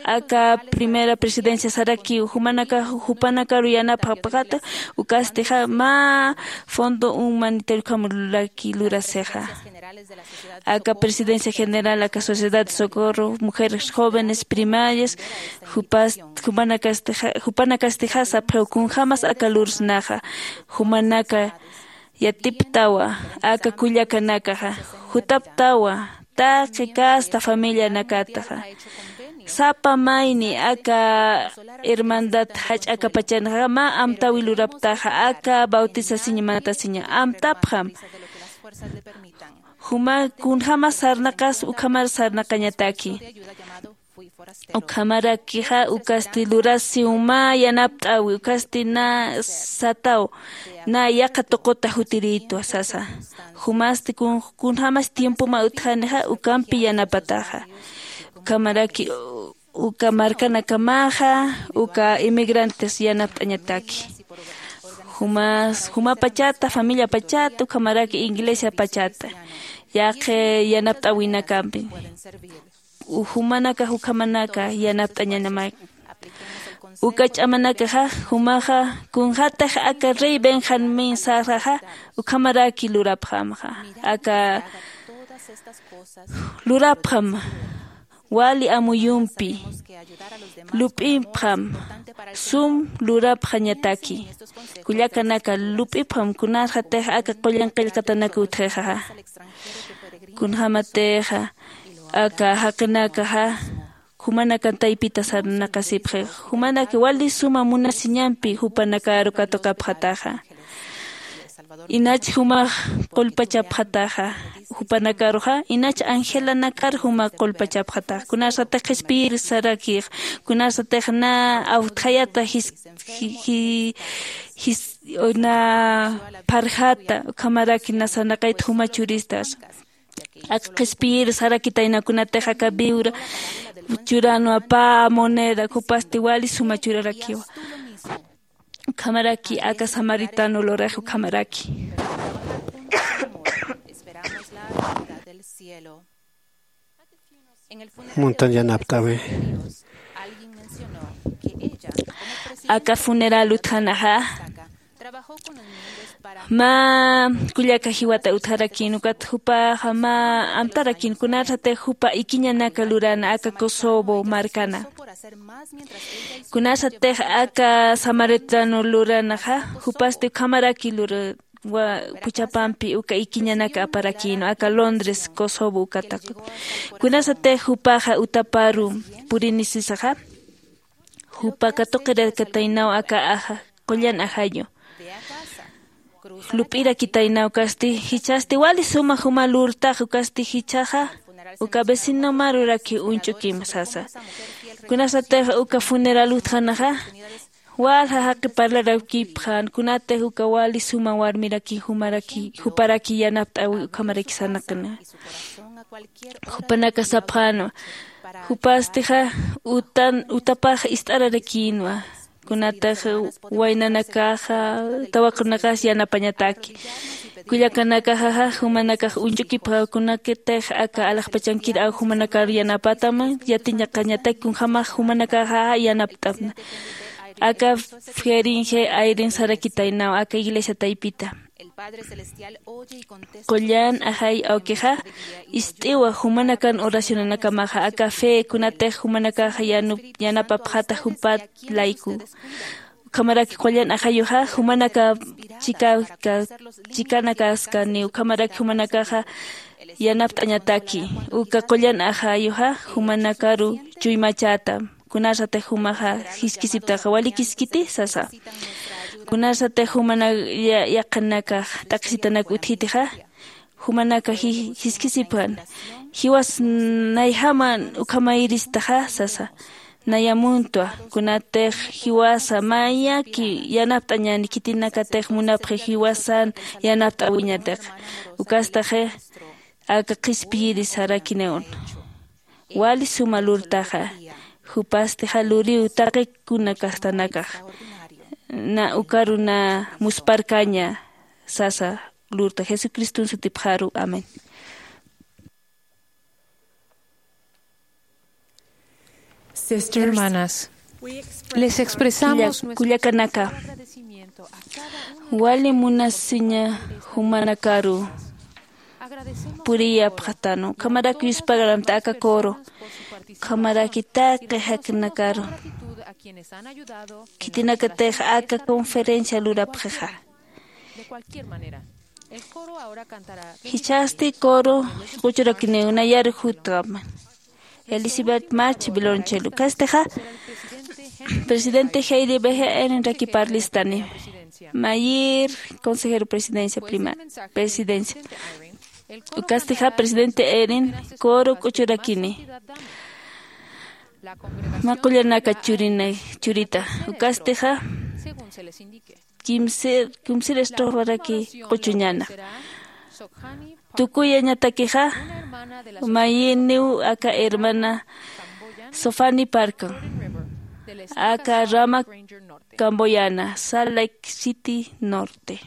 Aka primera presidencia sarakiw jumanakax jupanakaru yanapxapxata ukastixa mä fondo humanitario ukham lurasixa. Aka presidencia general aka sociedad de socorro, mujeres jóvenes primarias, jupas jupanakastixa jupanakastixa sapxiw kunjämas aka lursnaxa. Jumanaka yatiptawa aka kullakanakaxa, jutaptawa taqi casta familianakataxa. Sapa mayni aka hermandad jach'a akapachanxa mä amtäwi luraptaxa aka bautisasiña mantasiña amtapxam. Juma kunjämas sarnaqas ukhamar sarnaqañataki. Ukhamarakixa ukasti lurasiw mä yanapt'äwi ukasti na sataw na yaqha tuquta jutirïtwa sasa. Jumasti kun kunjämas tiempoma utjanixa ukampi yanapataxa. Ukhamaraki uka markanakamaxa uka inmigrantes yanapt'añataki. Jumas jumapachata familiapachata ukhamaraki iglesiapachata yaqhi yanapt'äwinakampi. Jumanakax ukhamanaka yanapt'añanamaki. Uka ch'amanakaxa jumaxa kunjätix aka rey benjamín sarxaxa ukhamaraki lurapxamxa. Aka lurapxam wali amuyumpi lup'ipxam sum lurapxañataki. Kullakanaka lup'ipxam kunarxatix aka qullan qillqatanak utjixaxa. Kunjämatixa aka jaqinakaxa jumanakan taypita sarnaqasipxix. Jumanaka wali suma munasiñampi jupanakaru katuqapxataxa. Inach jumax qullpachapxataxa jupanakaruxa inach angelanakar juma qullpachapxataxa kunasatix qhispiyir sarakix kunasatix na awtjayata jis jis na pharjata ukhamaraki na sarnaqayta juma churistas. Aka qhispiyir sarakitayna kunatix aka viura churanwa pä moneda jupasti wali suma churarakiwa. Ukhamaraki aka samaritano lurix ukhamaraki. Muntan yanapt'awi. Aka funeral utjanaxa mä kullaka jiwata utjarakïn ukat jupaxa mä amtarakïn kunasatix jupa ikiñanaka lurana aka kosovo markana. Kunasatix aka samaritano luranaxa jupasti ukhamaraki lura puchapampi uka ikiñanaka aparakïnwa aka londres kosovo ukataq. Kunasatix jupaxa utaparu purinisisaxa jupa katuqirakataynaw aka aja qullan ajayu. Lup'irakitaynaw kasti jichhasti wali suma juma lurtax ukasti jichhaxa uka vecinomaruraki uñch'ukim sasa. Kunasatix uka funeral utjanaxa walja jaqi parlarakipxän kunatix uka wali suma warmiraki jumaraki juparaki yanapt'äwi ukhamaraki sarnaqinwa. Jupanaka sapxänwa jupastixa utan utapax ist'ararakïnwa. Kunatix waynanakaxa tawaqunakax yanapañataki. Kullakanakaxaxa jumanakax uñch'ukipxaw kunakitix aka alaxpachankir aw jumanakar yanapatam yatiñaqañatak kunjämax jumanakaxaxa yanapt'apna. Aka feringe ayrin sarakitaynaw aka iglesia taypita. Qullan ajay awkixa ist'iwa jumanakan oracionanakamaxa aka fe kunatix jumanakaxa yanapapxata jumpat layku. Ukhamaraki qullan ajayuxa jumanaka chikaka chikanakaskani ukhamaraki jumanakaxa yanapt'añataki. Uka qullan ajayuxa jumanakaru chuymachata kunasatix jumaxa jiskisiptaxa walikiskiti sasa. Kunasatix jumana yaqhanakax t'aqhisitanak utjitixa jumanaka jiskisipxan jiwas nayjama ukhamayiristaxa sasa. Nayamuntwa kunatix jiwasa mayaki yanapt'añani khitinakatix munapxi jiwasan yanapt'äwiñatix. Ukastaxi aka qhispiyiri sarakiniwn wali suma lurtaxa. Jupastixa luriw taqi kuna kastanakax na ukaru na musparkaña sasa lurta jesucriston sutipxaru amén. Hermanas, les expresamos nuestro kullakanaka wali munasiña jumanakaru puriyapxatanu. Ukhamaraki yuspagaramta aka coro. Ukhamaraki taqi jaknakaru. Khitinakatix aka conferencia lurapxixa. Jichhasti coro quchurakiniw nayar jutxam. Elizabeth March Violonchelo. Ukhastixa presidente Heidi Behe Erenraki parlistani. Mayir consejero presidencia prima presidencia. Ukastixa presidente Eren coro quchurakini. Mä qullanaka churina churita. Ukastixa kimsir kimsir estrofarakiw quchuñäna. Tukuyañatakixa mayiniw aka hermana Sofani Parkan, aka rama Camboyana, Salt Lake City Norte.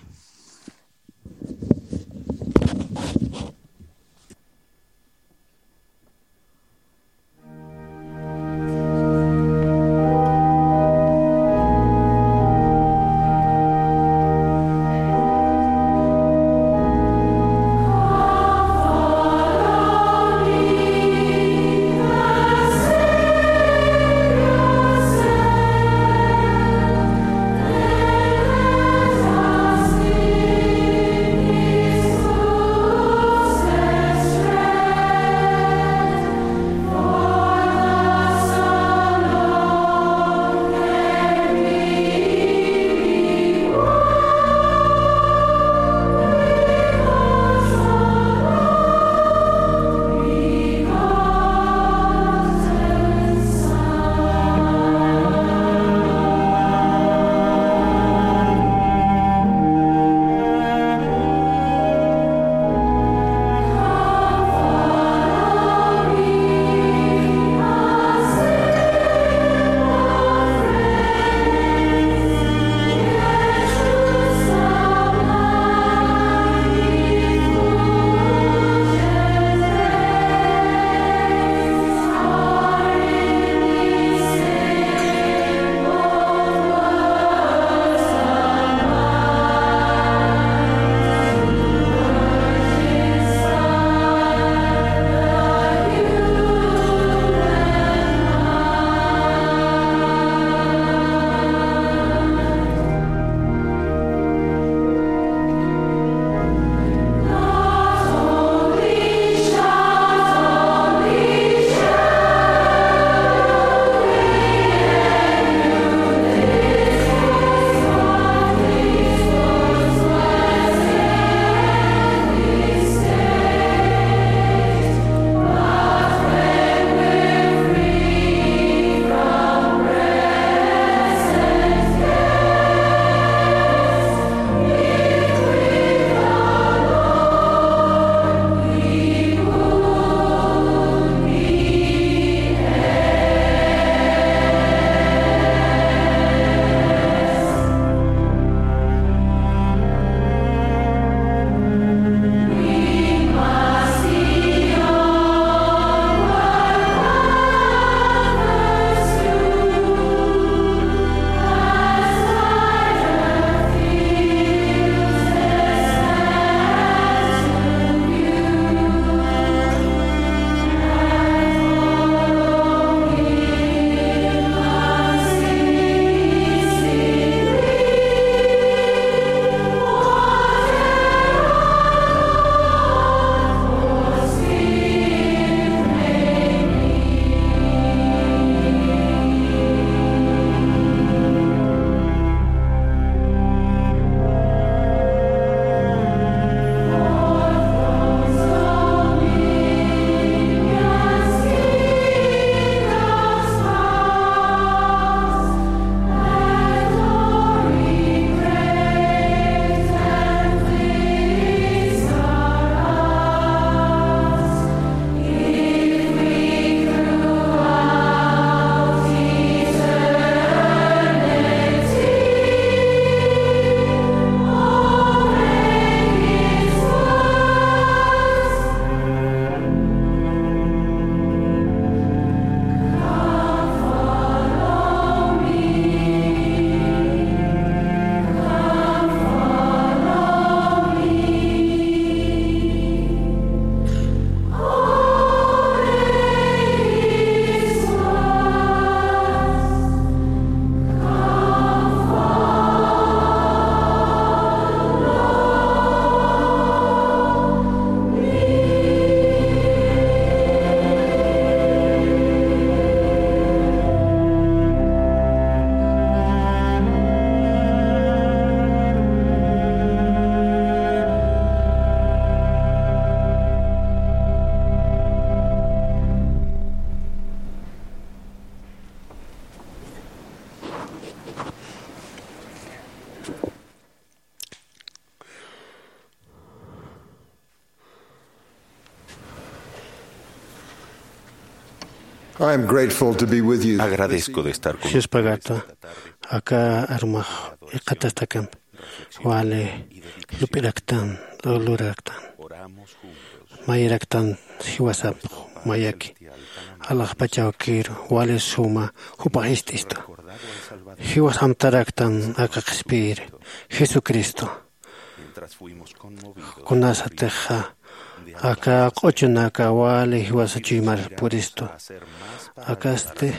I am grateful to be with you. Agradezco de estar con ustedes esta tarde. Aka armax iqatastakampi wali lup'iraktan, luraktan, mayiraktan jiwasapx mayaki alaxpachawkiru wali suma jupax ist'istu. Jiwas amtaraktan aka qhispiyiri Jesucristo. Kunasatixa aka q'uchunaka wali jiwasa chuymar puristu. Akasti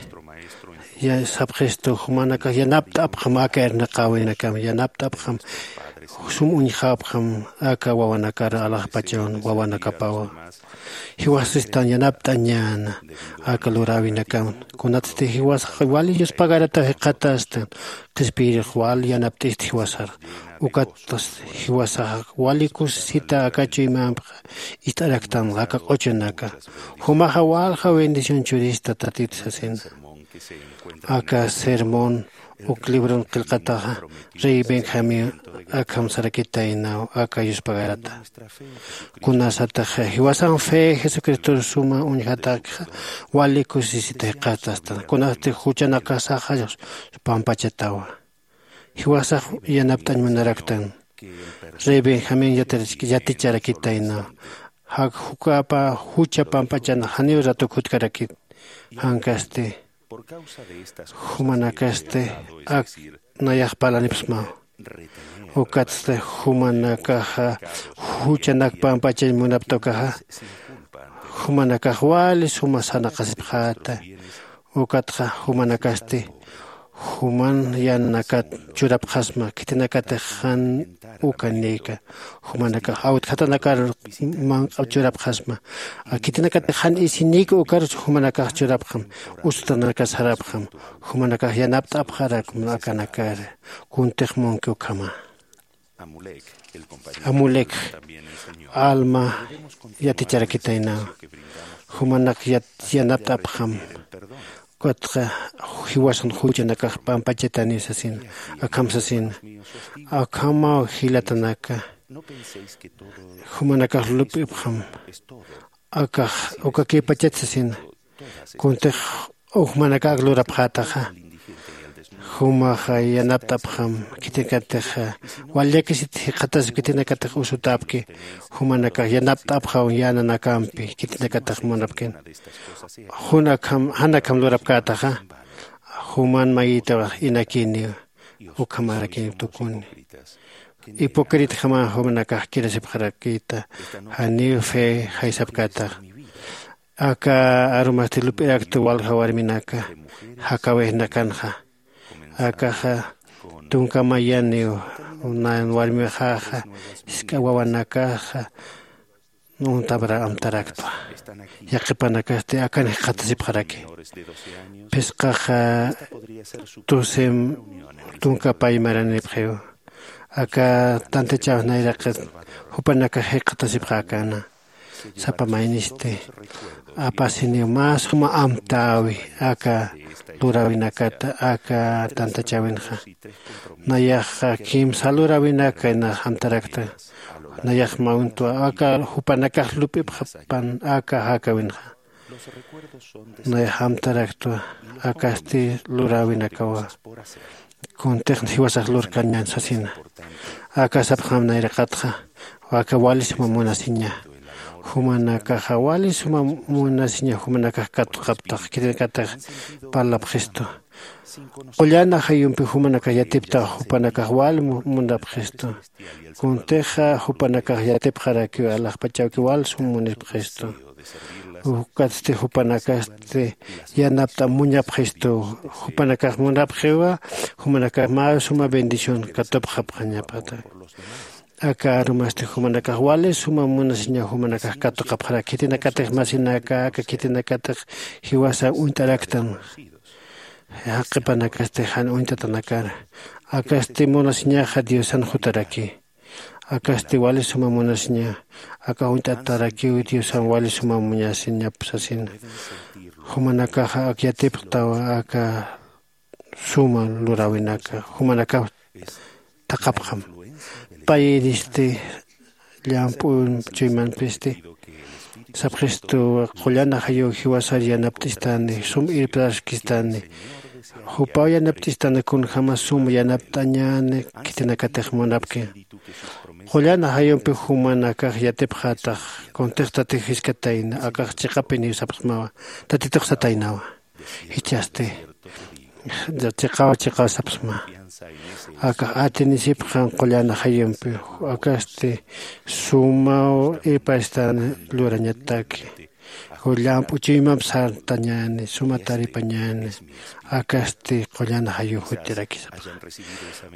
ya sapxistu jumanakax yanapt'apxam aka irnaqäwinakam, yanapt'apxam sum uñjapxam aka wawanakar alaxpachawan wawanakapawa. Jiwasistan yanapt'añäna aka luräwinakam. Kunatsti jiwasax wali yuspagarataw jikxatastan qhispiyirix wal yanapt'ist jiwasar. Ukat jiwasax wali kusisita aka chuymampxa ist'araktan aka q'uchunaka. Jumaxa walja bendición churista tatit sasina. Aka sermón uk libron qillqataxa rey Benjamín akham sarakitaynaw aka yuspagarata. Kunasataxa jiwasan fe Jesucristor suma uñjatakxa wali kusisita jikxatastan. Kunasti juchanakasaxa pampachatawa. Jiwasax yanapt'añ munaraktan. Rey Benjamín yatarach-, yaticharakitaynaw. Jak jukapa jucha pampachana janiw ratuk jutkarakit. Jankasti jumanakasti ak nayax parlanipxsmaw. Ukatsti jumanakaxa juchanak pampachañ munapta ukaxa, jumanakax wali suma sarnaqasipxäta. Ukatxa jumanakasti juman yänanakat churapxasma, khitinakatix jan ukanïka. Jumanakax awtjatanakar manq'ap churapxasma. Khitinakatix jan isinïka ukar jumanakax churapxam, usutanakar sarapxam. Jumanakax yanapt'apxarakma akanakar. Kuntix munki ukhama. Amulek alma yaticharakitaynaw. Jumanak yat-, yanapt'apxam. Ukatxa jiwasan juchanakax pampachataniw sasina. Akham sasina. Akhamaw jilatanaka. Jumanakax lup'ipxam. Akax ukakïpachat sasina. Kuntix uk jumanakax lurapxätaxa. Jumaxa yanapt'apxam khitinakatix wal llakisit jikxatasip khitinakatix usutäpki. Jumanakax yanapt'apxam yänanakampi khitinakatix munapkin. Jun akham, jan akham lurapkätaxa. Juman mayitaw inakiniw ukhamarakin tukuni. Hipocritjama jumanakax kirasipxarakita. Janiw fe jaysapkätaxa. Aka arumasti lup'irakta walja warminaka jakawixnakanxa. Akaxa tunka mayaniw, nan warmiwixaxa, jisk'a wawanakaxa untamra amtaraktwa. Yaqhipanakasti akan jikxatasipxaraki. Phisqaxa tusem tunka pay maranipxiw. Aka tantachaw nayraqit jupanakax jikxatasipxäkana. Sapa maynisti apasiniw mä suma amtäwi aka luräwinakata aka tantachäwinxa. Nayaxa kimsa luräwinaka nax amtarakta. Nayax mä uñtwa aka jupanakax lup'ipxpan aka jakawinxa. Nayax amtaraktwa akasti luräwinakawa. Kuntix jiwasax lurkañan sasina. Aka sapxam nayraqatxa, aka wali suma munasiña. Jumanakaxa wali suma munasiña, jumanakax katuqaptax, khitinakatix parlapxistu. Qullan ajayumpi jumanakax yatiptax, jupanakax wali mu-, munapxistu. Kuntixa jupanakax yatipxarakiw, alaxpachawki wal sum munipxistu. Ukatsti jupanakasti yanapt'a muñapxistu. Jupanakax munapxiwa, jumanakax mä suma bendición katupxapxañapata. Aka arumasti jumanakax wali suma munasiña, jumanakax katuqapxarak. Khitinakatix masinaka, aka khitinakatix jiwasa uñt'araktan. Jaqhipanakasti jan uñt'atanakar. Akasti munasiñaxa Diosan jutaraki. Akasti wali suma munasiña, aka uñt'atarakiw Diosan wali suma munasiñap sasina. Jumanakaxa ak yatipxtawa aka suma luräwinaka, jumanakaw thaqhapxam. Payiristi llamp'u chuymanpisti Sapxistu, qullan ajayuw jiwasar yanapt'istani, sum irptaskistani. Jupaw yanapt'istani kunjämas sum yanapt'añäni khitinakatix munapki. Qullan ajayumpi jumanakax yatipxätax, kuntix tatix jiskatayna, akax chiqapiniw sapxsmawa, tatitux sataynawa. Jichhasti chiqaw chiqaw sapxsma. Akax atinisipxam qullan ajayumpi, akasti sumaw irpastan lurañataki. Llamp'u chuymamp sartañäni, suma taripañäni, akasti qullan ajayuw jutirakisapxa.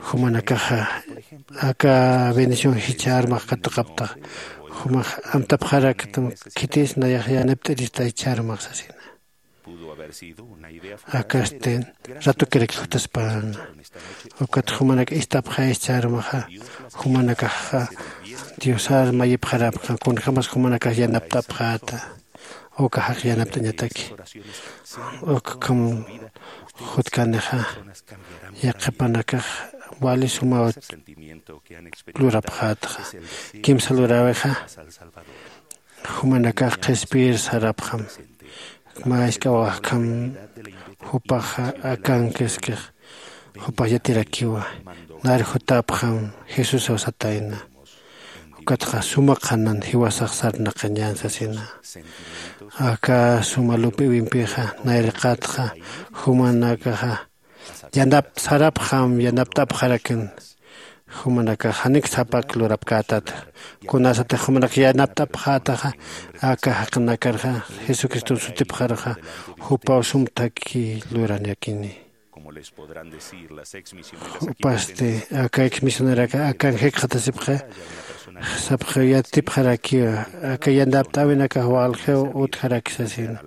Jumanakaxa aka bendición jichha armax katuqaptax, jumax amtapxaraktam, khitis nayax yanapt'irista jichha armax sasina. Akasti ratukirak jutaspäna. Ukat jumanak ist'apxay jichha armaxa, jumanakaxa Diosar mayipxarapxam, kunjämas jumanakax yanapt'apxäta. Uka jaq yanapt'añataki. Ukham jutkanixa, yaqhipanakax wali sumaw lurapxätxa. Kimsa luräwixa, jumanakax qhispiyir sarapxam. Mä jisk'awaxkham jupaxa akankiskix, jupax yatirakiwa. Nar jutapxam Jesusaw satayna. Ukatxa suma qhanan jiwasax sarnaqañän sasina. Aka suma lup'iwimpixa, nayraqatxa jumanakaxa yanapt'sarapxam, yanapt'apxarakin. Jumanakax janik sapak lurapkätata. Kunasatix jumanak yanapt'apxätaxa, aka jaqinakarxa Jesucriston sutipxaruxa, jupaw sum thakhi lurañakini. Jupasti aka ex misioneraxa akan jikxatasipxi, sapxi yatipxarakiwa, aka yanapt'äwinakax waljiw utjaraki sasina.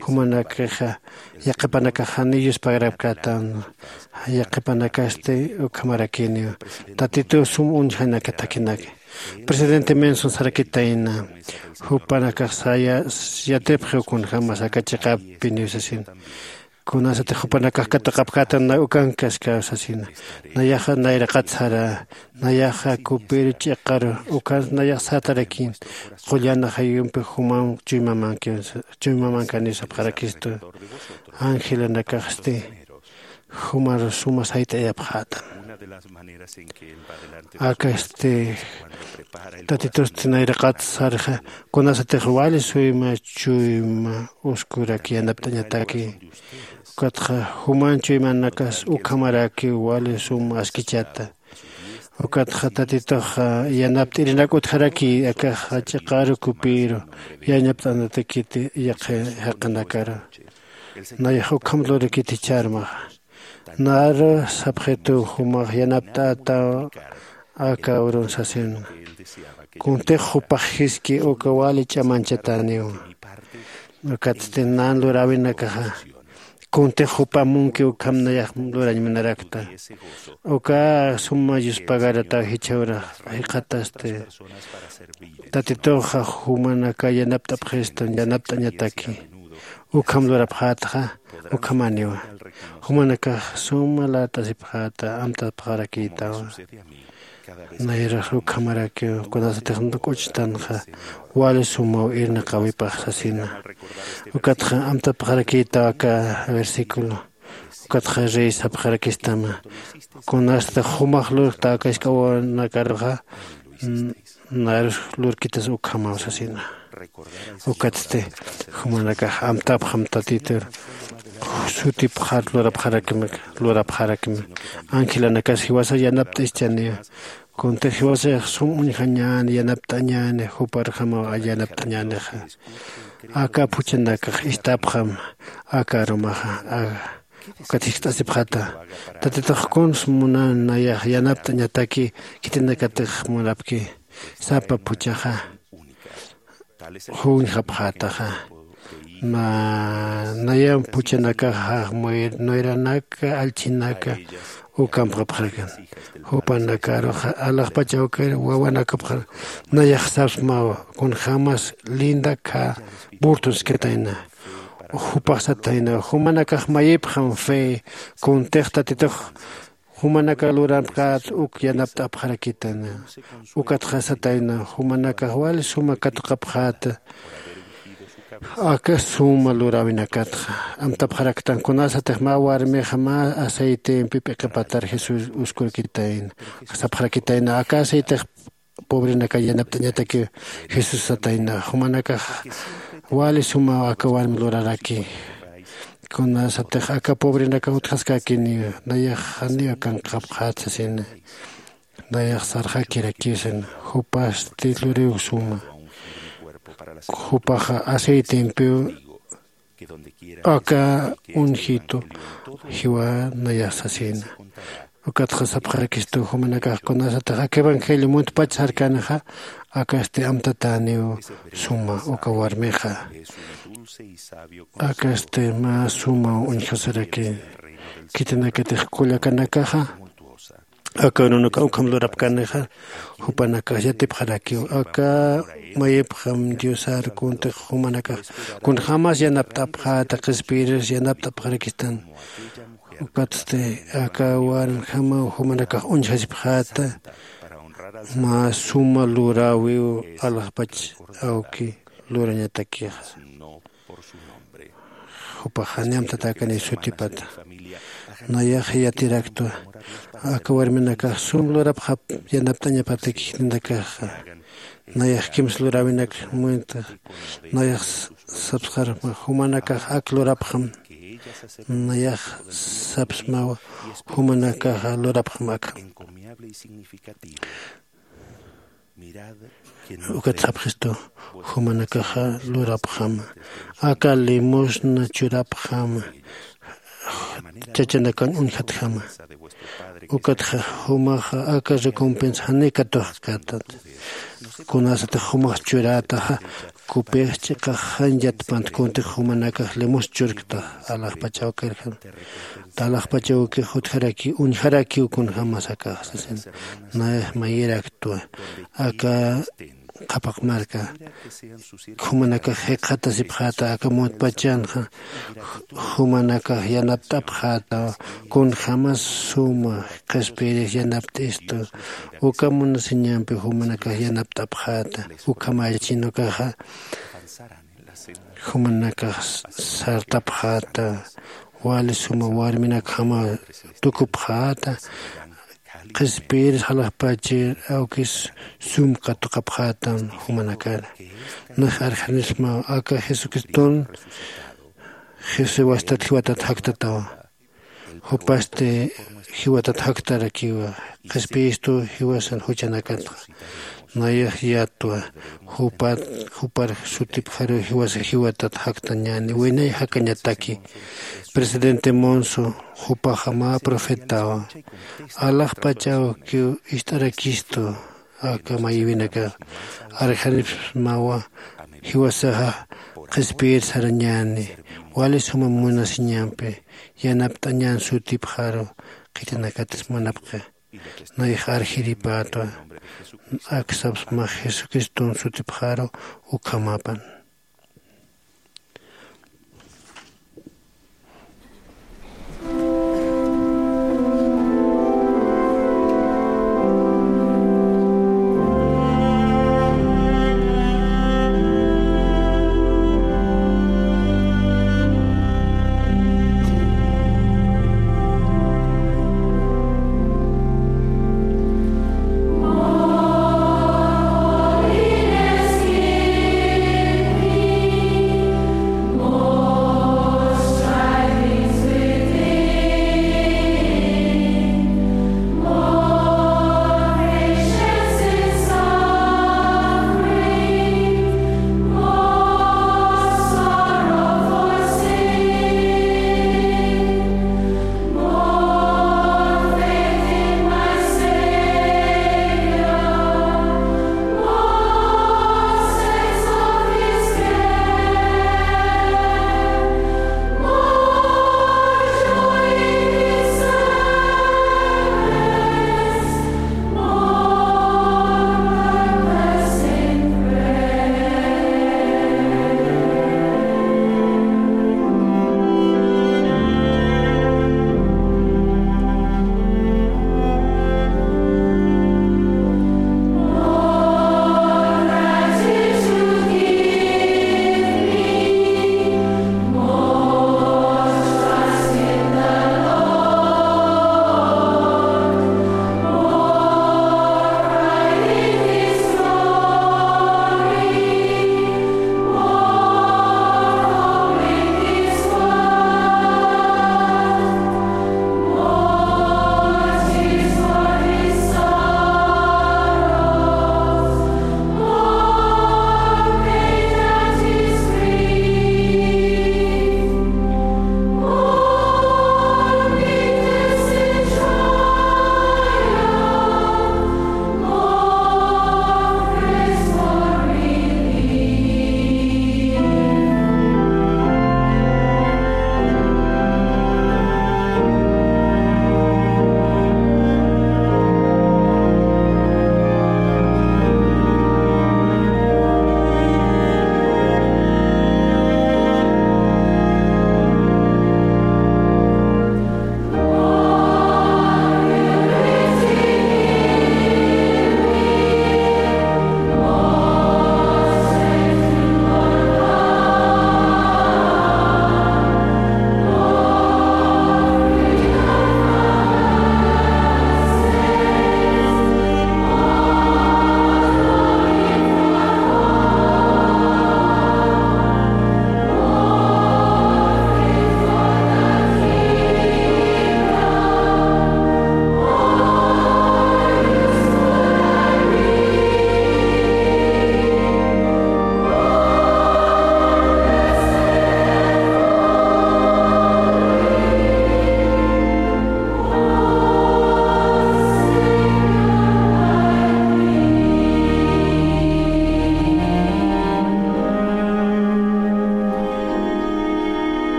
Jumanakaxa yaqhipanakax janiw yuspagarapkätan, yaqhipanakasti ukhamarakiniw. Tatituw sum uñjanaka thakhinaki. Presidente Monson sarakitayna, jupanakax saya yatipxiw kunjämas aka chiqapiniw sasina. Kunasatix jupanakax katuqapkätan na ukankaskaw sasina. Nayaxa nayraqat sara, nayaxa kupiru ch'iqaru, ukhans nayax sartarakin, qullan ajayumpi jumam chuymamanki, chuymamankäniw sapxarakistu. Angelanakaxsti jumar suma sayt'ayapxätam. Akasti Tatitusti nayraqat sarxa, kunasatix wali suyma chuyma uskurak yanapt'añataki. Ukatxa juman chuymanakas ukhamarakiw wali suma askichata. Ukatxa Tatitux yanapt'irinak utjaraki, akax ch'iqaru kupiru yanapt'anatakiti yaqhi jaqinakaru. Nayax ukham lurikiti jichha armaxa. Naru sapxitu jumax yanapt'ätaw aka urun sasina. Kuntix jupax jiski uka wali ch'amanchatäniwa. Ukatsti nan luräwinakaxa, kuntix jupa munki ukham nayax lurañ munarakta. Uka suma yuspagarataw jichha urax jikxatasti. Tatituxa jumanaka yanapt'apxistan, yanapt'añataki. Ukham lurapxätxa, ukhamäniwa. Jumanakax suma lat'asipxäta, amtapxarakïtawa. Nayrax ukhamarakiw, kunasatix k'uchtanxa, wali sumaw irnaqäwipax sasina. Ukatxa amtapxarakïtaw aka versículo. Ukatxa rey sapxarakistama. Kunasatix jumax lurkta aka jisk'awanakaruxa, n-, narus lurkitas ukhamaw sasina. Ukatsti jumanakax amtapxam Tatitur sutipxar lurapxarakimi, lurapxarakimi. Angelanakas jiwasa yanapt'ischaniwa. Kuntix jiwasax sum uñjañäni, yanapt'añäni, juparjamaw yanapt'añänixa. Aka phuchhanakax ist'apxam aka arumaxa, a-, ukat jiskt'asipxata. Tatitux kuns munan nayax yanapt'añataki khitinakatix munapki. Sapa phuchhaxa juñjapxätaxa. Na, nayan phuchhanakaxa, muy-, nuyranaka, allchhinaka, ukampxapxarakan. Jupanakaruxa alaxpach awkir wawanakapxar, nayax sapsmawa, kunjämas Linda K. Burton jiskt'ayna. Jupax satayna, jumanakax mayipxam fe, kuntix Tatitux jumanaka luramkät uk yanapt'apxarakitana. Ukatxa satayna, jumanakax wali suma katuqapxäta. Aka suma luräwinakatxa amtapxaraktan kunasatix mä warmixa mä aceitempi p'iqipatar jesús uskurkitayna sapxarakitayna aka aceitix pobrenaka yanapt'añataki. Jesús satayna jumanakax wali suma aka warmi luraraki. Kunasatix aka pobrenaka utjaskakini nayax janiw kanqapxät sasina. Nayax sarxakirakiw sina jupasti luriw suma jupaxa aceitempiw aka unjitu jiwa nayax sasina. Ukatxa sapxarakistu jumanakax kunasatix aka evangelio muntpach sarkanixa akasti amtatäniw suma uka warmixa. Akasti mä suma uñjasaraki khitinakatix kullakanakaxa aka urunaka ukham lurapkanixa jupanakax yatipxarakiw aka mayipxam diosar kuntix jumanakax kunjämas yanapt'apxäta qhispiyiris yanapt'apxarakistan. Ukatsti aka warmjamaw jumanakax uñjasipxäta mä suma luräwiw alaxpach awki lurañatakixa. Jupax jani amtatäkaniw sutipata nayax yatiraktwa aka warminakax sum lurapxap yanapt'añapataki jitinakaxa. Nayax kimsa luräwinak muynta nayax sapsxarma jumanakax ak lurapxam nayax sapsmawa jumanakaxa lurapxam akham. Ukat sapxistu jumanakaxa lurapxama aka limosna churapxama chachanakañ uñjatjama. Ukatxa jumaxa aka recompensa janiw katuxkatat kunasatix jumax churätaxa kupix ch'iqax jan yatpant kuntix jumanakax limosna churkta alaxpach awkirjam. Alaxpach awkix utjarakiw uñjarakiw kunjämas akax sasin. Nayax mayiraktwa aka qhapaq marka jumanakax jikxatasipxäta aka muntpachanxa jumanakax yanapt'apxäta kunjämas suma qhispiyirix yanapt'istu uka munasiñampi jumanakax yanapt'apxäta. Ukhamächin ukaxa jumanakax sartapxäta wali suma warminakjama tukupxäta qhispiyir jalaxpachir awkis sum katuqapxätan jumanakar. Nax arjanisma aka jesucriston jesuwastat jiwatat jaktatawa jupasti jiwatat jaktarakiwa qhispiyistu jiwasan juchanakatxa. Nayax yatwa jupat jupar sutipxaru jiwasa jiwatat jaktañäni winay jakañataki. Presidente monso jupaxa mä profetawa alaxpach awkiw ist'arakistu aka mayïwinakax arjanipsmawa jiwasaxa qhispiyir sarañäni wali suma munasiñampi yanapt'añän sutipxaru khitinakatis munapxi. Nayax arjiripätwa aksapsmax jesucriston sutipxaru ukhamapan.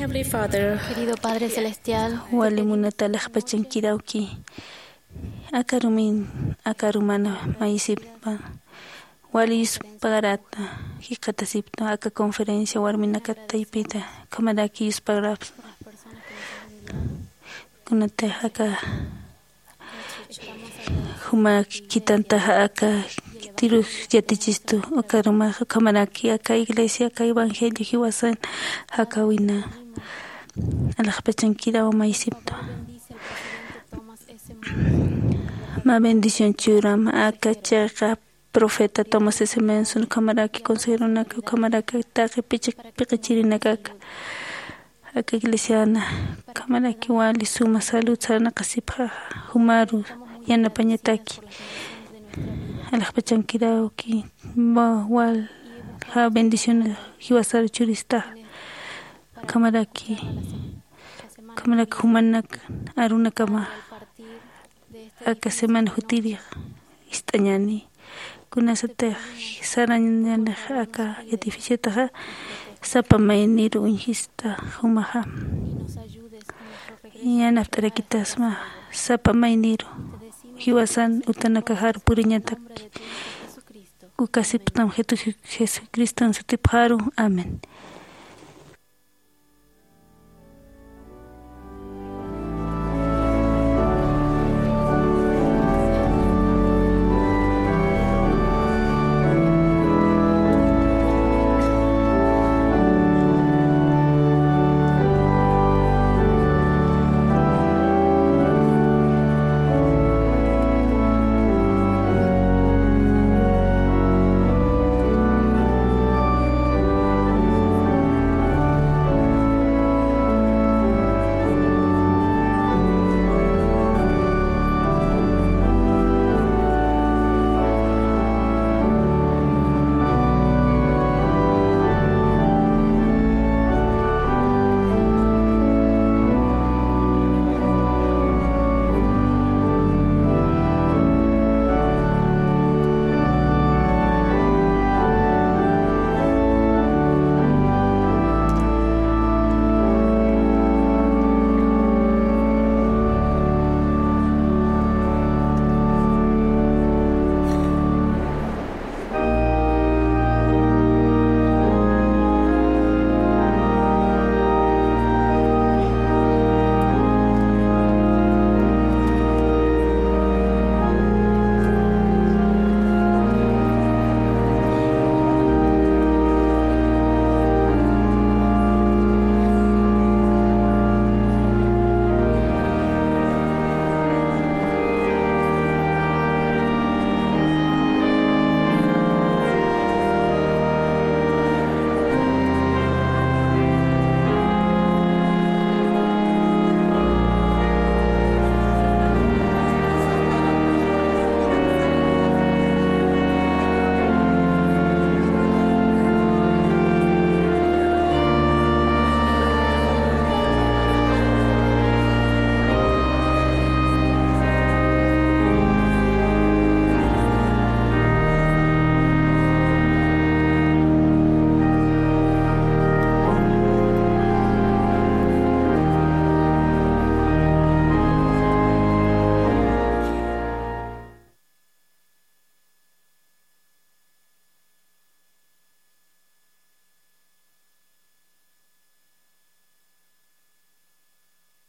Heavenly Father, querido Padre Celestial, wali munata alaxpachankiraki. Aka arumin, aka arumana mayisiptwa. Wali yuspagarata jikxatasiptwa aka conferencia warminakat taypita. Ukhamaraki yuspagarapxsma. Kunatix aka jumak khitantaxa aka khitirux yatichistu, uka arumax ukhamaraki aka iglesia, aka evangelio jiwasan jakawina alaxpachankiraw mayisiptwa. Mä bendición churam aka chiqa profeta Thomas S. Monson, ukhamaraki consejeronaka, ukhamaraki taqi pichiq piqichirinakaka, aka iglesiana, ukhamaraki wali suma salud sarnaqasipxaxa, jumaru yanapañataki. Alaxpachankiraki, walja bendición jiwasaru churistaxa. Ukhamaraki, ukhamaraki jumanak arunakama aka semana jutirix ist'añäni. Kunasatix sarañanix aka edificiotaxa, sapa mayniru uñjista jumaxa. Yanapt'arakitasma sapa mayniru jiwasan utanakaxaru puriñataki. Ukasiptam Jesucriston sutipxaru. Amén.